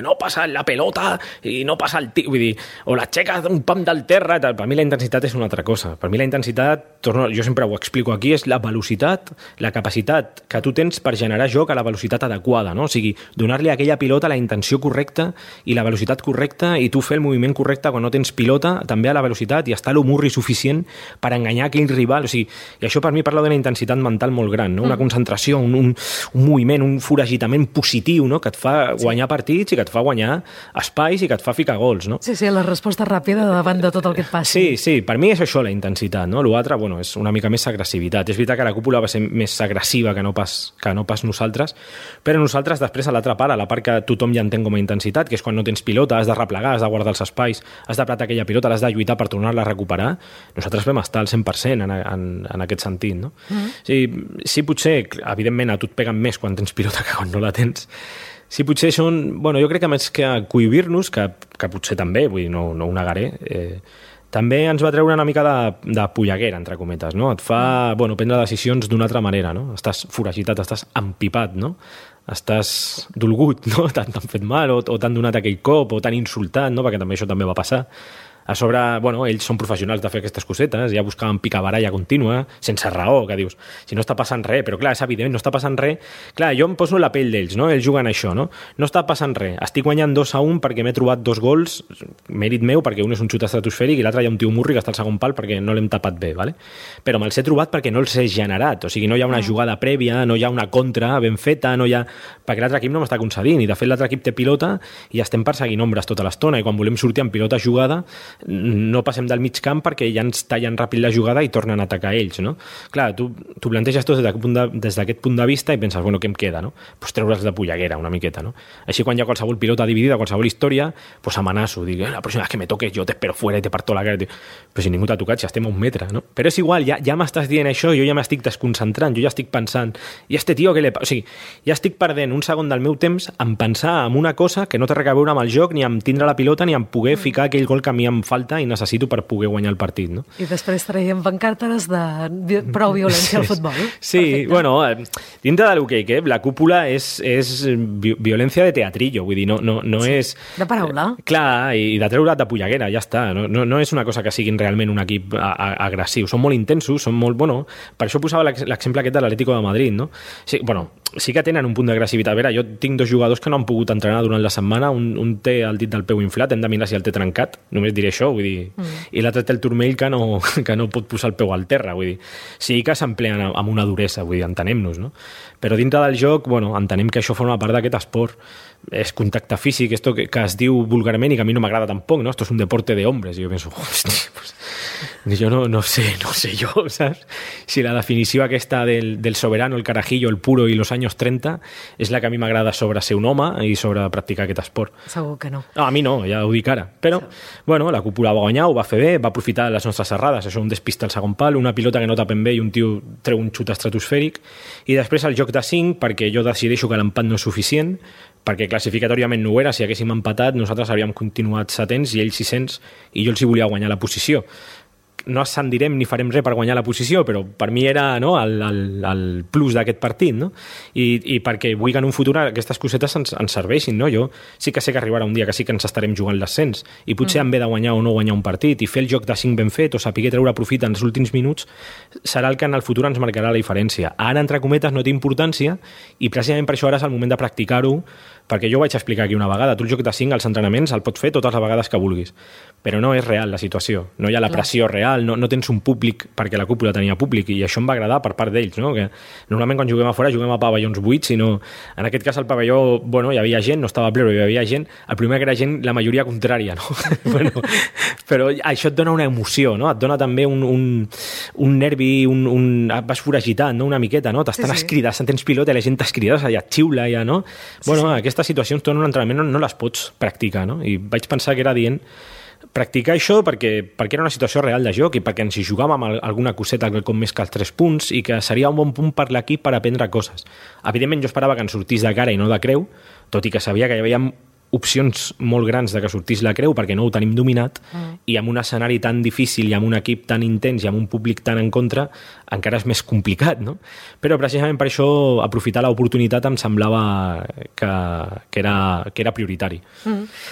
no passa la pelota i no passa el vull dir, o l'aixeca d'un pam del terra, per mi la intensitat és una altra cosa. Per mi la intensitat, jo sempre ho explico aquí, és la velocitat, la capacitat que tu tens per generar joc a la velocitat adequada, no? O sigui, donar-li a aquella pilota la intenció correcta i la velocitat correcta i tu fer el moviment correcte quan no tens pilota, també a la velocitat i estar l'humorri suficient per enganyar aquell rival. O sigui, i això per mi parla d'una intensitat mental molt gran, no? Una concentració, un moviment, un foragitament positiu, no? Que et fa guanyar partits i que et fa guanyar espais i que et fa ficar gols, no? Sí, la resposta ràpida davant de tot el que et passi. Sí, per mi és això la intensitat, no? L'altre, bueno, és una mica més agressivitat. És veritat que la cúpula va ser més agressiva que no pas nosaltres, però nosaltres després a l'altra part, a la part que tothom ja entén com a intensitat, que és quan no tens pilota, has de replegar, has de guardar els espais, has d'apretar aquella pilota, l'has de lluitar per tornar-la a recuperar, nosaltres vam estar al 100% en aquest sentit, no? Sí, potser, evidentment, a tu et peguen més quan tens pilota que quan no la tens. Sí, potser són... Bueno, jo crec que més que cohibir-nos, que potser també, vull dir, no ho negaré, també ens va treure una mica de polleguera, entre cometes, no? Et fa, prendre decisions d'una altra manera, no? Estàs foragitat, estàs empipat, no? Estàs dolgut, no? T'han fet mal, o t'han donat aquell cop, o t'han insultat, no? Perquè també això també va passar. A sobre, ells són professionals de fer aquestes cosetes, ja buscaven picabaralla contínua, sense raó, que dius, si no està passant res, però clar, és evident, no està passant res. Clar, jo em poso la pell d'ells, no? Ells juguen això, no? No està passant res. Estic guanyant 2-1 perquè m'he trobat 2 gols, mèrit meu, perquè un és un xut estratosfèric i l'altre hi ha un tio murri que està al segon pal perquè no l'hem tapat bé, ¿vale? Però me'ls he trobat perquè no els he generat, o sigui, no hi ha una jugada prèvia, no hi ha una contra ben feta, no hi ha... perquè l'altre equip no m'està concedint, i de fet l'altre equip té pilota i estem perseguint ombres tota l'estona, i quan volem sortir amb pilota jugada no passem del mig camp perquè ja ens tallen ràpid la jugada i tornen a atacar ells, no? Clar, tu planteges tot des d'aquest punt de vista i penses, què em queda, no? Pues treure'ls de polleguera una miqueta, no? Així quan hi ha qualsevol pilota dividida, qualsevol història, pues amenaço, dic, la pròxima vegada que me toques jo t'espero fuera i te parto la cara. Però si ningú t'ha tocat, ja estem a 1 metre, no? Però és igual, ja m'estàs dient això, jo ja m'estic desconcentrant, jo ja estic pensant, i este tio, què le passa? O sigui, ja estic perdent un segon del meu temps en pensar en una cosa que no té res a veure amb el joc, ni en tindre la pilota, ni en poder ficar aquell gol que a mi em falta i necessito per poder guanyar el partit, no? I després traiem pancartes de prou violència al futbol. Sí, perfecte. Dintre de l'hoquei, la cúpula és violència de teatrillo, vull dir, no és... De paraula. Clar, i de treure't de polleguera, ja està. No és una cosa que siguin realment un equip agressiu. Són molt intensos, són molt... per això posava l'exemple aquest de l'Atlético de Madrid, no? Sí que tenen un punt d'agressivitat. A veure, jo tinc 2 jugadors que no han pogut entrenar durant la setmana, un té el dit del peu inflat, hem de mirar si el té trencat, només diré això, vull dir, i l'altre té el turmell que no pot posar el peu al terra, vull dir, sí que s'empleen amb una duresa, vull dir, entenem-nos, no? Però dintre del joc, entenem que això forma part d'aquest esport, és contacte físic, esto que es diu vulgarment i que a mi no m'agrada tampoc, no? Esto es un deporte de hombres, i jo penso, hòstia, pues, jo no sé jo, saps? Si la definició aquesta del soberano, el carajillo, el puro i los años 30 és la que a mi m'agrada sobre ser un home i sobre practicar aquest esport. Segur que no. No, a mi no, ja ho dic ara. Però, la cúpula va guanyar, ho va fer bé, va aprofitar les nostres errades, això, un despista al segon pal, una pilota que no tapen bé i un tio treu un xut estratosfèric, i després el joc de 5, perquè jo decideixo que l'empat no és suficient, perquè classificatòriament no ho era, si haguéssim empatat nosaltres hauríem continuat 700 i ells 600 i jo els hi volia guanyar la posició, no ascendirem ni farem res per guanyar la posició, però per mi era, no, el plus d'aquest partit, no? I perquè vull que en un futur aquestes cosetes ens serveixin, no? Jo sí que sé que arribarà un dia que sí que ens estarem jugant l'ascens i potser en ve de guanyar o no guanyar un partit i fer el joc de 5 ben fet o saber treure profit en els últims minuts serà el que en el futur ens marcarà la diferència. Ara, entre cometes, no té importància i precisament per això ara és el moment de practicar-ho, perquè jo ho vaig explicar aquí una vegada. Tu el joc de 5 als entrenaments el pots fer totes les vegades que vulguis, però no és real la situació, no hi ha la pressió real, no tens un públic, perquè la cúpula tenia públic i això em va agradar per part d'ells, no? Que normalment quan juguem a fora juguem a pavellons buits, sinó en aquest cas al pavelló, bueno, hi havia gent, no estava ple, però hi havia gent, el primer que era gent, la majoria contrària, no? Bueno, però això et dona una emoció, no? Et dona també un nervi, vas foragitat, no? Una miqueta, no? T'estan escridant, tens pilota i la gent t'escrida, ja et xiula, ja, no? Bueno, aquestes situacions, tu en un entrenament no les pots practicar, no? I vaig pensar que era dient practicar això perquè era una situació real de joc i perquè ens hi jugàvem amb alguna coseta com més que els 3 punts i que seria un bon punt per l'equip per aprendre coses. Evidentment jo esperava que ens sortís de cara i no de creu, tot i que sabia que hi havia opcions molt grans de que sortís la creu perquè no ho tenim dominat i amb un escenari tan difícil i amb un equip tan intens i amb un públic tan en contra encara és més complicat, no? Però precisament per això aprofitar l'oportunitat em semblava que era prioritari.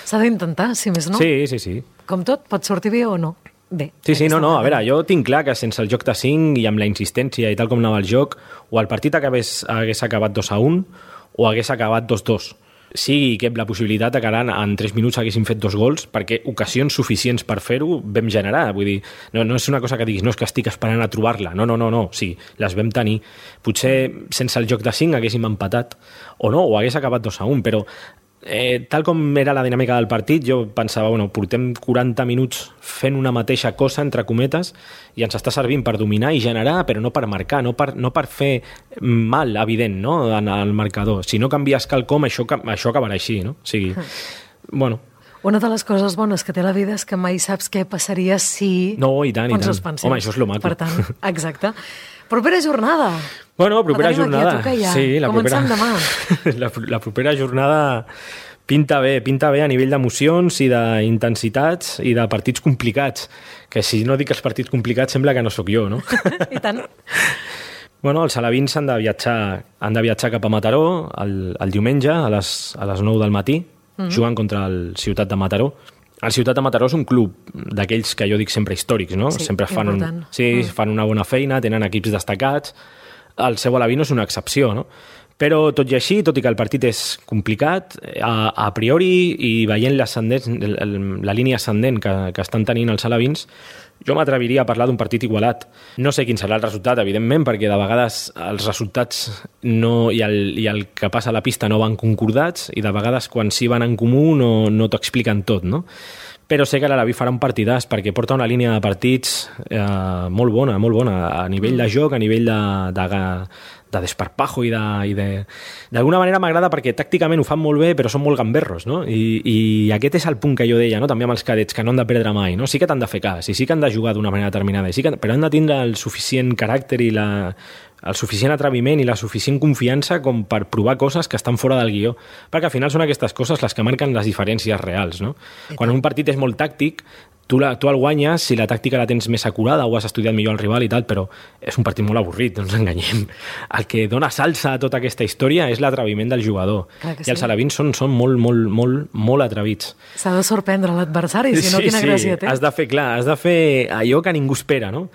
S'ha d'intentar, si més no. Sí. Com tot, pot sortir bé o no. Bé. Sí, no, a veure, jo tinc clar que sense el joc de 5 i amb la insistència i tal com anava el joc, o el partit hagués acabat 2-1 o hagués acabat 2-2. Sí que la possibilitat que ara en 3 minuts haguéssim fet 2 gols, perquè ocasions suficients per fer-ho vam generar. Vull dir, no és una cosa que diguis, no és que estic esperant a trobar-la. No. Sí, les vam tenir. Potser sense el joc de 5 haguéssim empatat, o no, o hagués acabat 2-1, però tal com era la dinàmica del partit, jo pensava, bueno, portem 40 minuts fent una mateixa cosa, entre cometes, i ens està servint per dominar i generar, però no per marcar, no per fer mal, evident, no?, en el marcador. Si no canvies quelcom, això acabarà així, no? O sigui, bueno... Una de les coses bones que té la vida és que mai saps què passaria si... No, i tant. Home, això és lo maco. Per tant, exacte. Propera jornada. Bueno, propera jornada. Ja. Sí, comencem demà. La propera jornada pinta bé a nivell d'emocions i d'intensitats i de partits complicats, que si no dic els partits complicats sembla que no sóc jo, no? I tant. Bueno, els alevins han de viatjar cap a Mataró el diumenge a les 9 del matí, jugant contra el Ciutat de Mataró. El Ciutat de Mataró és un club d'aquells que jo dic sempre històrics, no? Sí, sempre fan fan una bona feina, tenen equips destacats. El seu aleví no és una excepció, no? Però tot i així, tot i que el partit és complicat, a priori, i veient la línia ascendent que estan tenint els alevins, jo m'atreviria a parlar d'un partit igualat. No sé quin serà el resultat, evidentment, perquè de vegades els resultats i el que passa a la pista no van concordats i de vegades quan sí van en comú no t'ho expliquen tot, no? Però sé que l'Aleví farà un partidàs perquè porta una línia de partits molt bona, a nivell de joc, a nivell de desparpajo i d'alguna manera m'agrada perquè tàcticament ho fan molt bé però són molt gamberros, no? I aquest és el punt que jo deia, no? També amb els cadets, que no han de perdre mai, no? Sí que t'han de fer cas i sí que han de jugar d'una manera determinada, però han de tindre el suficient caràcter i el suficient atreviment i la suficient confiança com per provar coses que estan fora del guió, perquè al final són aquestes coses les que marquen les diferències reals, no? Quan un partit és molt tàctic, tu el guanyes si la tàctica la tens més acurada o has estudiat millor el rival i tal, però és un partit molt avorrit, no ens enganyem. El que dona salsa a tota aquesta història és l'atreviment del jugador. I els alevins són molt atrevits. S'ha de sorprendre l'adversari, si no quina gràcia té. Has de fer allò que ningú espera, no?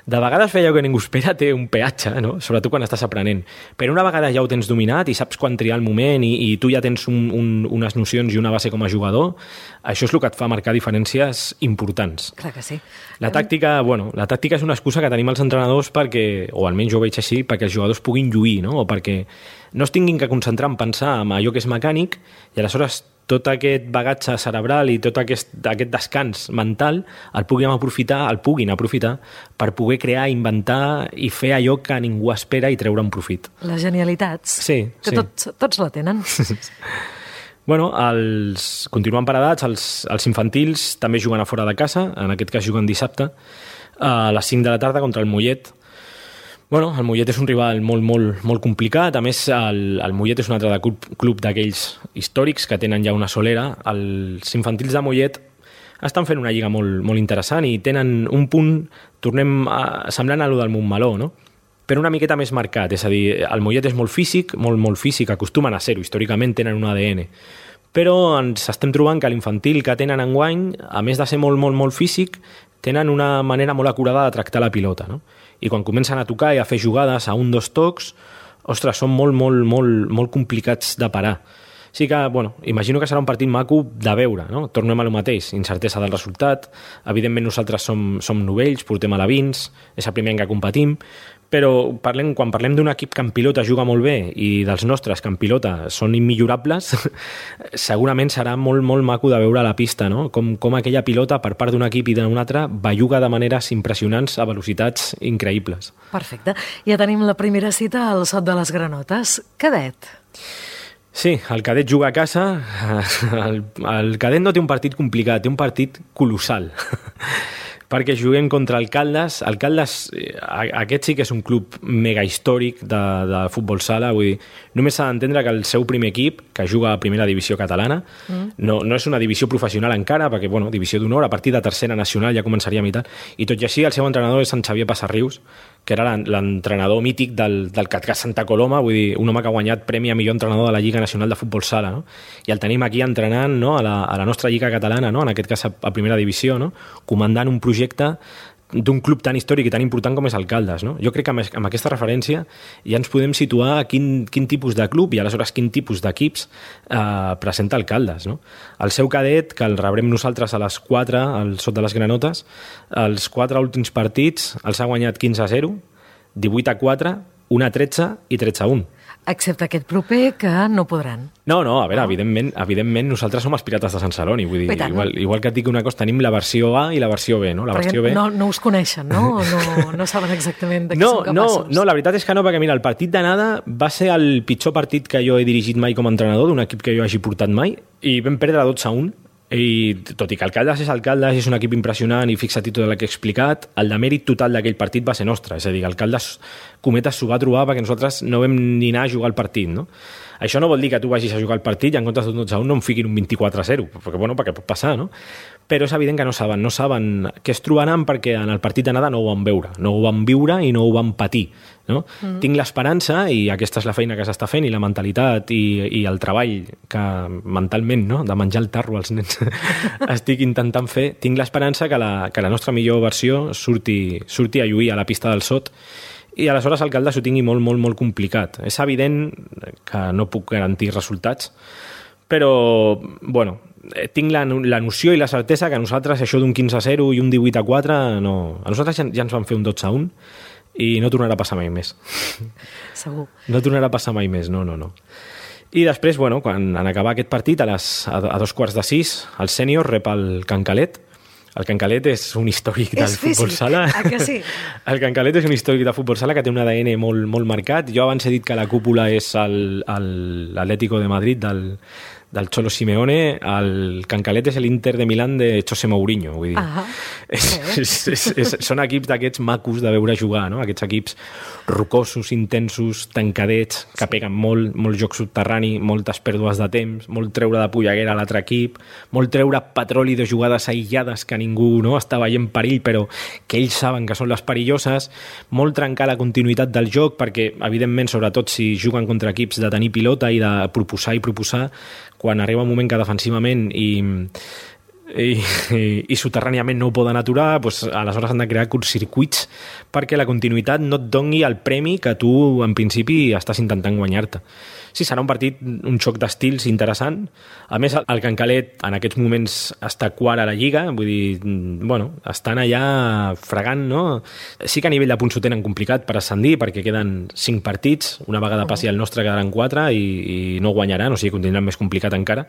De vegades fer allò que ningú espera té un peatge, no? Sobretot quan estàs aprenent. Però una vegada ja ho tens dominat i saps quan triar el moment i tu ja tens unes nocions i una base com a jugador, això és el que et fa marcar diferències importants. Clar que sí. La tàctica és una excusa que tenim els entrenadors perquè, o almenys jo ho veig així, perquè els jugadors puguin lluir, no? O perquè no es tinguin que concentrar en pensar en allò que és mecànic i aleshores tot aquest bagatge cerebral i tot aquest descans mental el puguin aprofitar per poder crear, inventar i fer allò que ningú espera i treure un profit. Les genialitats. Sí. Que tots la tenen. Bueno, continuen paradats, els infantils també juguen a fora de casa, en aquest cas juguen dissabte, a les 5 de la tarda contra el Mollet. Bueno, el Mollet és un rival molt complicat, a més el Mollet és un altre club d'aquells històrics que tenen ja una solera. Els infantils de Mollet estan fent una lliga molt, molt interessant i tenen un punt, semblant a lo del Montmeló, no? Però una miqueta més marcat, és a dir, el Mollet és molt físic, molt físic, acostumen a ser-ho, històricament tenen un ADN, però ens estem trobant que l'infantil que tenen enguany, a més de ser molt físic, tenen una manera molt acurada de tractar la pilota, no? I quan comencen a tocar i a fer jugades a 1-2 tocs, ostres, són molt complicats de parar. Sí que, bueno, imagino que serà un partit maco de veure, no? Tornem a lo mateix, incertesa del resultat, evidentment nosaltres som novells, portem alevins, és el primer any que competim, però quan parlem d'un equip que en pilota juga molt bé i dels nostres que en pilota són immillorables, segurament serà molt maco de veure a la pista, no? Com aquella pilota per part d'un equip i d'un altre belluga de maneres impressionants a velocitats increïbles. Perfecte. Ja tenim la primera cita al Sot de les Granotes. Cadet. Sí, el Cadet juga a casa. El Cadet no té un partit complicat, té un partit colossal. Perquè juguem contra el Caldes. El Caldes, aquest sí que és un club mega històric de futbol sala, vull dir, només s'ha d'entendre que el seu primer equip, que juga a primera divisió catalana, no és una divisió professional encara, perquè, bueno, divisió d'honor, a partir de tercera nacional ja començaríem i tal, i tot i així el seu entrenador és en Xavier Passarrius, que era l'entrenador mític del CatCat Santa Coloma, vull dir, un home que ha guanyat premi a millor entrenador de la Lliga Nacional de Futbol Sala, no? I el tenim aquí entrenant, no? a la nostra Lliga Catalana, no? En aquest cas a primera divisió, no? Comandant un projecte d'un club tan històric i tan important com és el Caldes, no? Jo crec que amb aquesta referència ja ens podem situar a quin tipus de club i aleshores quin tipus d'equips presenta el Caldes, no? El seu Cadet, que el rebrem nosaltres a les 4 al Sot de les Granotes, els 4 últims partits els ha guanyat 15-0, 18-4, 1-13 i 13-1. Excepte aquest proper, que no podran. No, a veure, evidentment nosaltres som els Pirates de Sant Celoni, vull dir, igual que et dic una cosa, tenim la versió A i la versió B, no? La versió B... No us coneixen, no? No saben exactament de què són capaços. No, la veritat és que no, perquè mira, el partit d'anada va ser el pitjor partit que jo he dirigit mai com a entrenador, d'un equip que jo hagi portat mai, i vam perdre 12-1, i tot i que el Caldes és un equip impressionant i fixa't tot el que he explicat, el demèrit total d'aquell partit va ser nostre, és a dir, el Caldes Cometes s'ho va trobar perquè nosaltres no vam ni anar a jugar al partit, no? Això no vol dir que tu vagis a jugar al partit i en comptes d'un 12-1 no em fiquin un 24-0, perquè pot passar, no? Però és evident que no saben què es trobaran perquè en el partit d'anada no ho van veure, no ho van viure i no ho van patir, no? Tinc l'esperança, i aquesta és la feina que s'està fent, i la mentalitat i el treball que mentalment, no?, de menjar el tarro als nens estic intentant fer, tinc l'esperança que la nostra millor versió surti a lluir a la pista del Sot, i aleshores el Caldes ho tingui molt complicat. És evident que no puc garantir resultats, però, bueno, tinc la noció i la certesa que a nosaltres això d'un 15-0 i un 18-4 no... A nosaltres ja ens van fer un 12-1 i no tornarà a passar mai més. Segur. No tornarà a passar mai més, no. I després, bueno, quan en acabar aquest partit, a 2:45, el sènior rep el Can Calet. El Can Calet és un històric del futbol sala. Que sí? El Can Calet és un històric de futbol sala que té un ADN molt marcat. Jo abans he dit que la cúpula és l'Atlético de Madrid del Cholo Simeone, el Can Calet és l'Inter de Milán de José Mourinho, vull dir. Són equips d'aquests macos de veure jugar, no? Aquests equips rocosos, intensos, tancadets, que peguen molt joc subterrani, moltes pèrdues de temps, molt treure de polleguera a l'altre equip, molt treure petroli de jugades aïllades que ningú no està veient perill, però que ells saben que són les perilloses, molt trencar la continuïtat del joc, perquè, evidentment, sobretot si juguen contra equips de tenir pilota i de proposar, quan arriba un moment que defensivament i soterràniament no ho poden aturar, doncs aleshores han de crear curtcircuits perquè la continuïtat no et doni el premi que tu en principi estàs intentant guanyar-te. Sí, serà un partit, un xoc d'estils interessant. A més, el Can Calet en aquests moments està quart a la Lliga, vull dir, bueno, estan allà fregant, no? Sí que a nivell de punts ho tenen complicat per ascendir, perquè queden 5 partits, una vegada passi el nostre quedaran 4 i no guanyaran, o sigui, continuaran més complicat encara.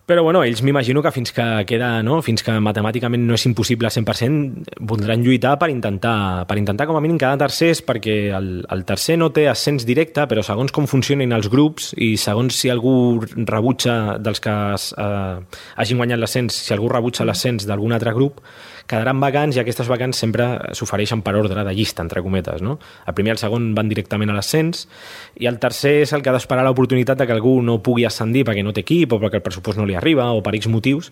Però bueno, ells m'imagino que fins que matemàticament no és impossible al 100%, voldran lluitar per intentar com a mínim quedar tercers, perquè el tercer no té ascens directe, però segons com funcionin els grups i segons si algú rebutja dels que hagin guanyat l'ascens, si algú rebutja l'ascens d'algun altre grup, quedaran vacants, i aquestes vacants sempre s'ofereixen per ordre de llista, entre cometes, no? El primer i el segon van directament a l'ascens, i el tercer és el que ha d'esperar l'oportunitat de que algú no pugui ascendir perquè no té equip o perquè el pressupost no li arriba o per X motius,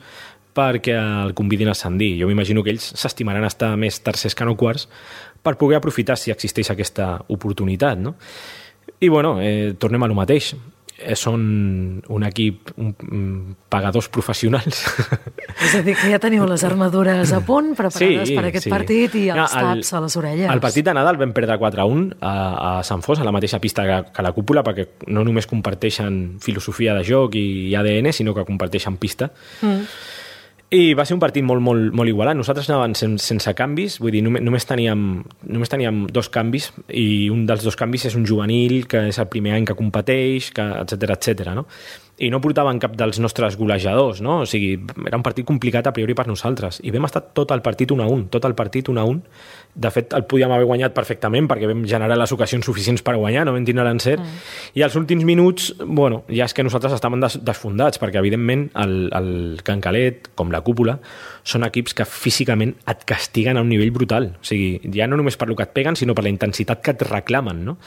perquè el convidin a ascendir. Jo m'imagino que ells s'estimaran estar més tercers que no quarts per poder aprofitar si existeix aquesta oportunitat, no? I, bueno, tornem a lo mateix. Són un equip pagadors professionals. És a dir, que ja teniu les armadures a punt, preparades per aquest partit i els taps a les orelles. El partit d'anada el vam perdre 4-1 a Sant Fos, a la mateixa pista que la Cúpula, perquè no només comparteixen filosofia de joc i ADN, sinó que comparteixen pista. I va ser un partit molt, molt, molt igualat. Nosaltres anàvem sense canvis, vull dir, només teníem 2 canvis, i un dels 2 canvis és un juvenil que és el primer any que competeix, etcètera, no? I no portaven cap dels nostres golejadors, no? O sigui, era un partit complicat a priori per nosaltres. I vam estar tot el partit 1-1. De fet, el podíem haver guanyat perfectament perquè vam generar les ocasions suficients per guanyar, no vam tindre l'encert. I als últims minuts, bueno, ja és que nosaltres estàvem desfondats, perquè evidentment el Can Calet, com la Cúpula, són equips que físicament et castiguen a un nivell brutal. O sigui, ja no només per lo que et peguen, sinó per la intensitat que et reclamen, no?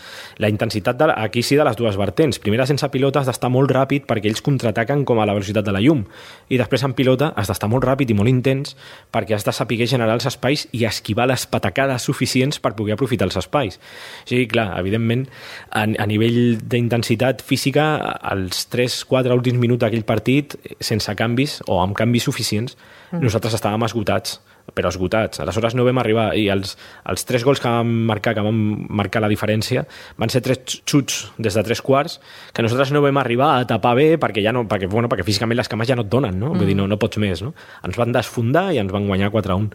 La intensitat aquí sí de les dues vertents. Primera, sense pilota has d'estar molt ràpid perquè ells contraataquen com a la velocitat de la llum. I després en pilota has d'estar molt ràpid i molt intens perquè has de saber generar els espais i esquivar les patacades suficients per poder aprofitar els espais. O sigui, clar, evidentment, a nivell d'intensitat física, els 3-4 últims minuts d'aquell partit, sense canvis o amb canvis suficients, nosaltres estàvem esgotats, però esgotats. Aleshores no vam arribar, i els 3 gols que vam marcar la diferència van ser 3 xuts des de 3 quarts que nosaltres no vam arribar a tapar bé perquè físicament les cames ja no et donen, no? Vull dir, no pots més, no? Ens van desfondar i ens van guanyar 4-1.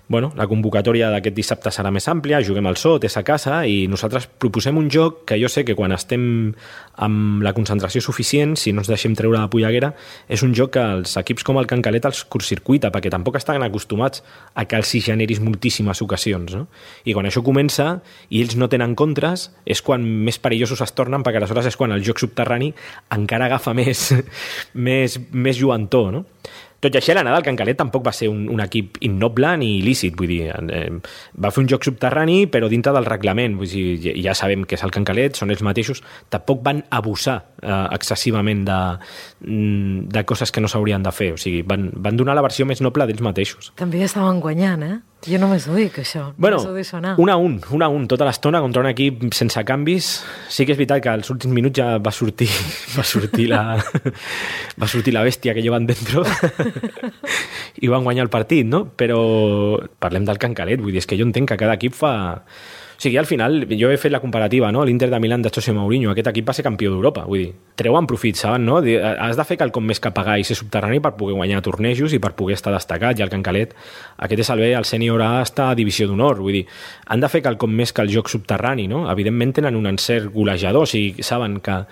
Bueno, la convocatòria d'aquest dissabte serà més àmplia, juguem al Sot, és a casa, i nosaltres proposem un joc que jo sé que quan estem amb la concentració suficient, si no ens deixem treure de polleguera, és un joc que els equips com el Can Calet els curtcircuita, perquè tampoc estan acostumats a que els hi generis moltíssimes ocasions, no? I quan això comença i ells no tenen contres, és quan més perillosos es tornen, perquè aleshores és quan el joc subterrani encara agafa més lluentor, no? Tot i així, l'anada del Can Calet tampoc va ser un equip innoble ni il·lícit, vull dir, va fer un joc subterrani però dintre del reglament, vull dir, ja sabem que és el Can Calet, són ells mateixos, tampoc van abusar excessivament de coses que no s'haurien de fer, o sigui, van donar la versió més noble d'ells mateixos. També estaven guanyant, Jo només ho dic, això. Bueno, 1-1 tota l'estona contra un equip sense canvis. Sí que és veritat que als últims minuts ja va sortir la bèstia que llevan dentro i van guanyar el partit, no? Però parlem del Can Calet, vull dir, és que jo entenc que cada equip fa... O sigui, al final, jo he fet la comparativa, no? L'Inter de Milán de José Mourinho, aquest equip va ser campió d'Europa, vull dir, treuen profit, saben, no? Has de fer quelcom més que pagar i ser subterrani per poder guanyar tornejos i per poder estar destacat, i el Can Calet, aquest és el sènior A està a divisió d'honor, vull dir, han de fer quelcom més que el joc subterrani, no? Evidentment tenen un encert golejador, o sigui, saben que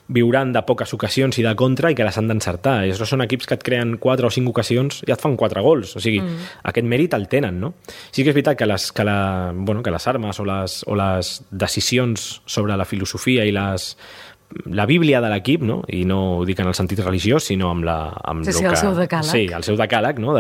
viuran de poques ocasions i de contra i que les han d'encertar. I són equips que et creen 4 o 5 ocasions i et fan 4 gols. O sigui, aquest mèrit el tenen, no? Sí que és veritat que les armes o les decisions sobre la filosofia i la Bíblia de l'equip, no? I no ho dic en el sentit religiós, sinó amb el seu decàleg. Sí, el seu decàleg, no?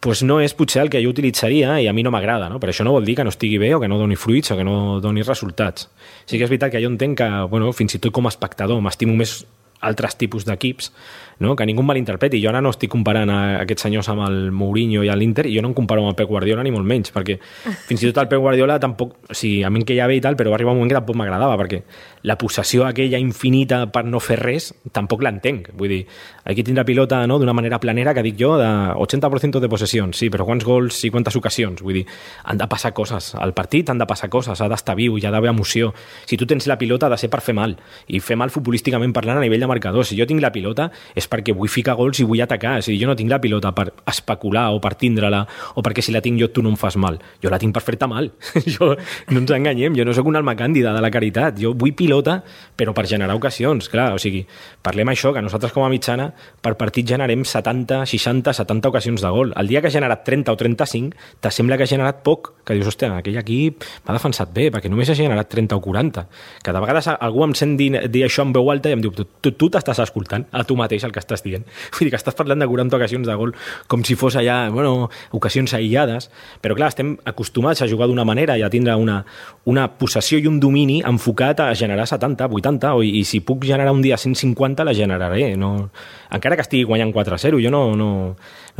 Pues no és potser el que jo utilitzaria i a mi no m'agrada, no? Però això no vol dir que no estigui bé o que no doni fruits o que no doni resultats. Sí que és veritat que jo entenc que, fins i tot com a espectador, m'estimo més altres tipus d'equips, no? Que ningú malinterpreti. Jo ara no estic comparant aquests senyors amb el Mourinho i l'Inter, i jo no em comparo amb el Pep Guardiola ni molt menys, perquè fins i tot el Pep Guardiola tampoc, o sigui, a mi que ja ve i tal, però va arribar un moment que tampoc m'agradava, perquè la possessió aquella infinita per no fer res tampoc l'entenc. Vull dir, aquí tindrà pilota, no?, d'una manera planera, que dic jo, de 80% de possessions, sí, però quants gols i quantes ocasions? Vull dir, han de passar coses. Al partit han de passar coses, ha d'estar viu, hi ha d'haver emoció. Si tu tens la pilota ha de ser per fer mal, i fer mal futbolísticament parlant a nivell de marcador. Si jo tinc la pilota és perquè vull ficar gols i vull atacar. O sigui, jo no tinc la pilota per especular o per tindre-la, o perquè si la tinc jo tu no em fas mal. Jo la tinc per fer-te mal. Jo, no ens enganyem, jo no sóc un alma càndida de la caritat. Jo vull pilota, però per generar ocasions. Clar, o sigui, parlem això, que nosaltres com a mitjana per partit generem 70, 60, 70 ocasions de gol. El dia que ha generat 30 o 35, te sembla que ha generat poc, que dius, hòstia, aquell equip m'ha defensat bé, perquè només ha generat 30 o 40. Que de vegades algú em sent dir això en veu alta i em diu, tu tu t'estàs escoltant a tu mateix el que estàs dient. Vull dir que estàs parlant de 40 ocasions de gol com si fos allà, ocasions aïllades, però clar, estem acostumats a jugar d'una manera i a tindre una possessió i un domini enfocat a generar 70, 80, i si puc generar un dia 150 la generaré, no? Encara que estigui guanyant 4-0, jo no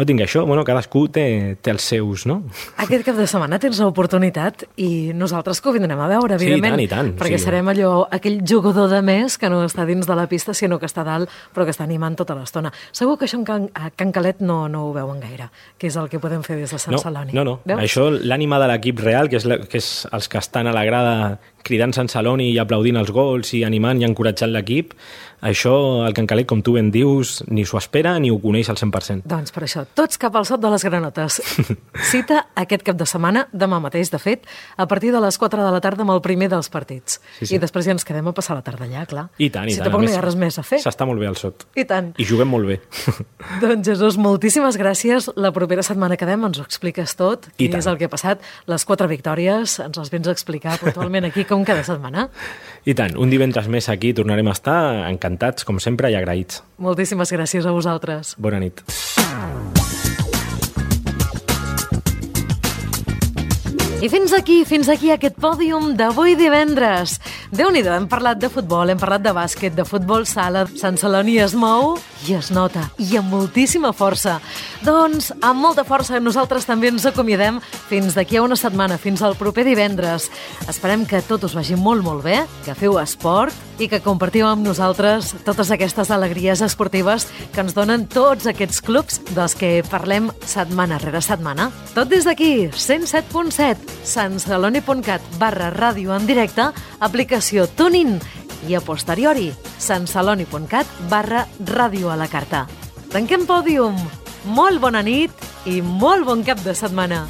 tinc això, cadascú té els seus, no? Aquest cap de setmana tens l'oportunitat i nosaltres que ho vindrem a veure, evidentment. Sí, i tant. Perquè serem aquell jugador de més que no està dins de la pista, sinó que està dalt, però que està animant tota l'estona. Segur que això a Can Calet no ho veuen gaire, que és el que podem fer des de Sant Celoni. No. Veus? Això, l'ànima de l'equip real, que és els que estan a la grada cridant Sant Celoni i aplaudint els gols i animant i encoratjant l'equip, això, el Can Calet, com tu ben dius, ni s'ho espera ni ho coneix al 100%. Doncs per això, tots cap al sot de les granotes. Cita aquest cap de setmana, demà mateix, de fet, a partir de les 4 de la tarda amb el primer dels partits. Sí. I després ja ens quedem a passar la tarda allà, clar. I tant. Si tampoc no hi ha res més a fer. S'està molt bé al sot. I tant. I juguem molt bé. Doncs Jesús, moltíssimes gràcies. La propera setmana quedem, ens ho expliques tot. Què és el que ha passat? Les 4 victòries, ens les vens a explicar puntualment aquí com cada setmana. I tant, un divendres més aquí tornarem a estar encantats, com sempre, i agraïts. Moltíssimes gràcies a vosaltres. Bona nit. I fins aquí aquest pòdium d'avui divendres. Déu-n'hi-do, hem parlat de futbol, hem parlat de bàsquet, de futbol sala. Sant Celoni es mou i es nota, i amb moltíssima força. Doncs, amb molta força, nosaltres també ens acomiadem fins d'aquí a una setmana, fins al proper divendres. Esperem que tot us vagi molt, molt bé, que feu esport i que compartiu amb nosaltres totes aquestes alegries esportives que ens donen tots aquests clubs dels que parlem setmana rere setmana. Tot des d'aquí, 107.7, santceloni.cat/ràdio en directe, aplicació TuneIn i a posteriori, santceloni.cat/ràdio a la carta. Tanquem pòdium. Molt bona nit i molt bon cap de setmana.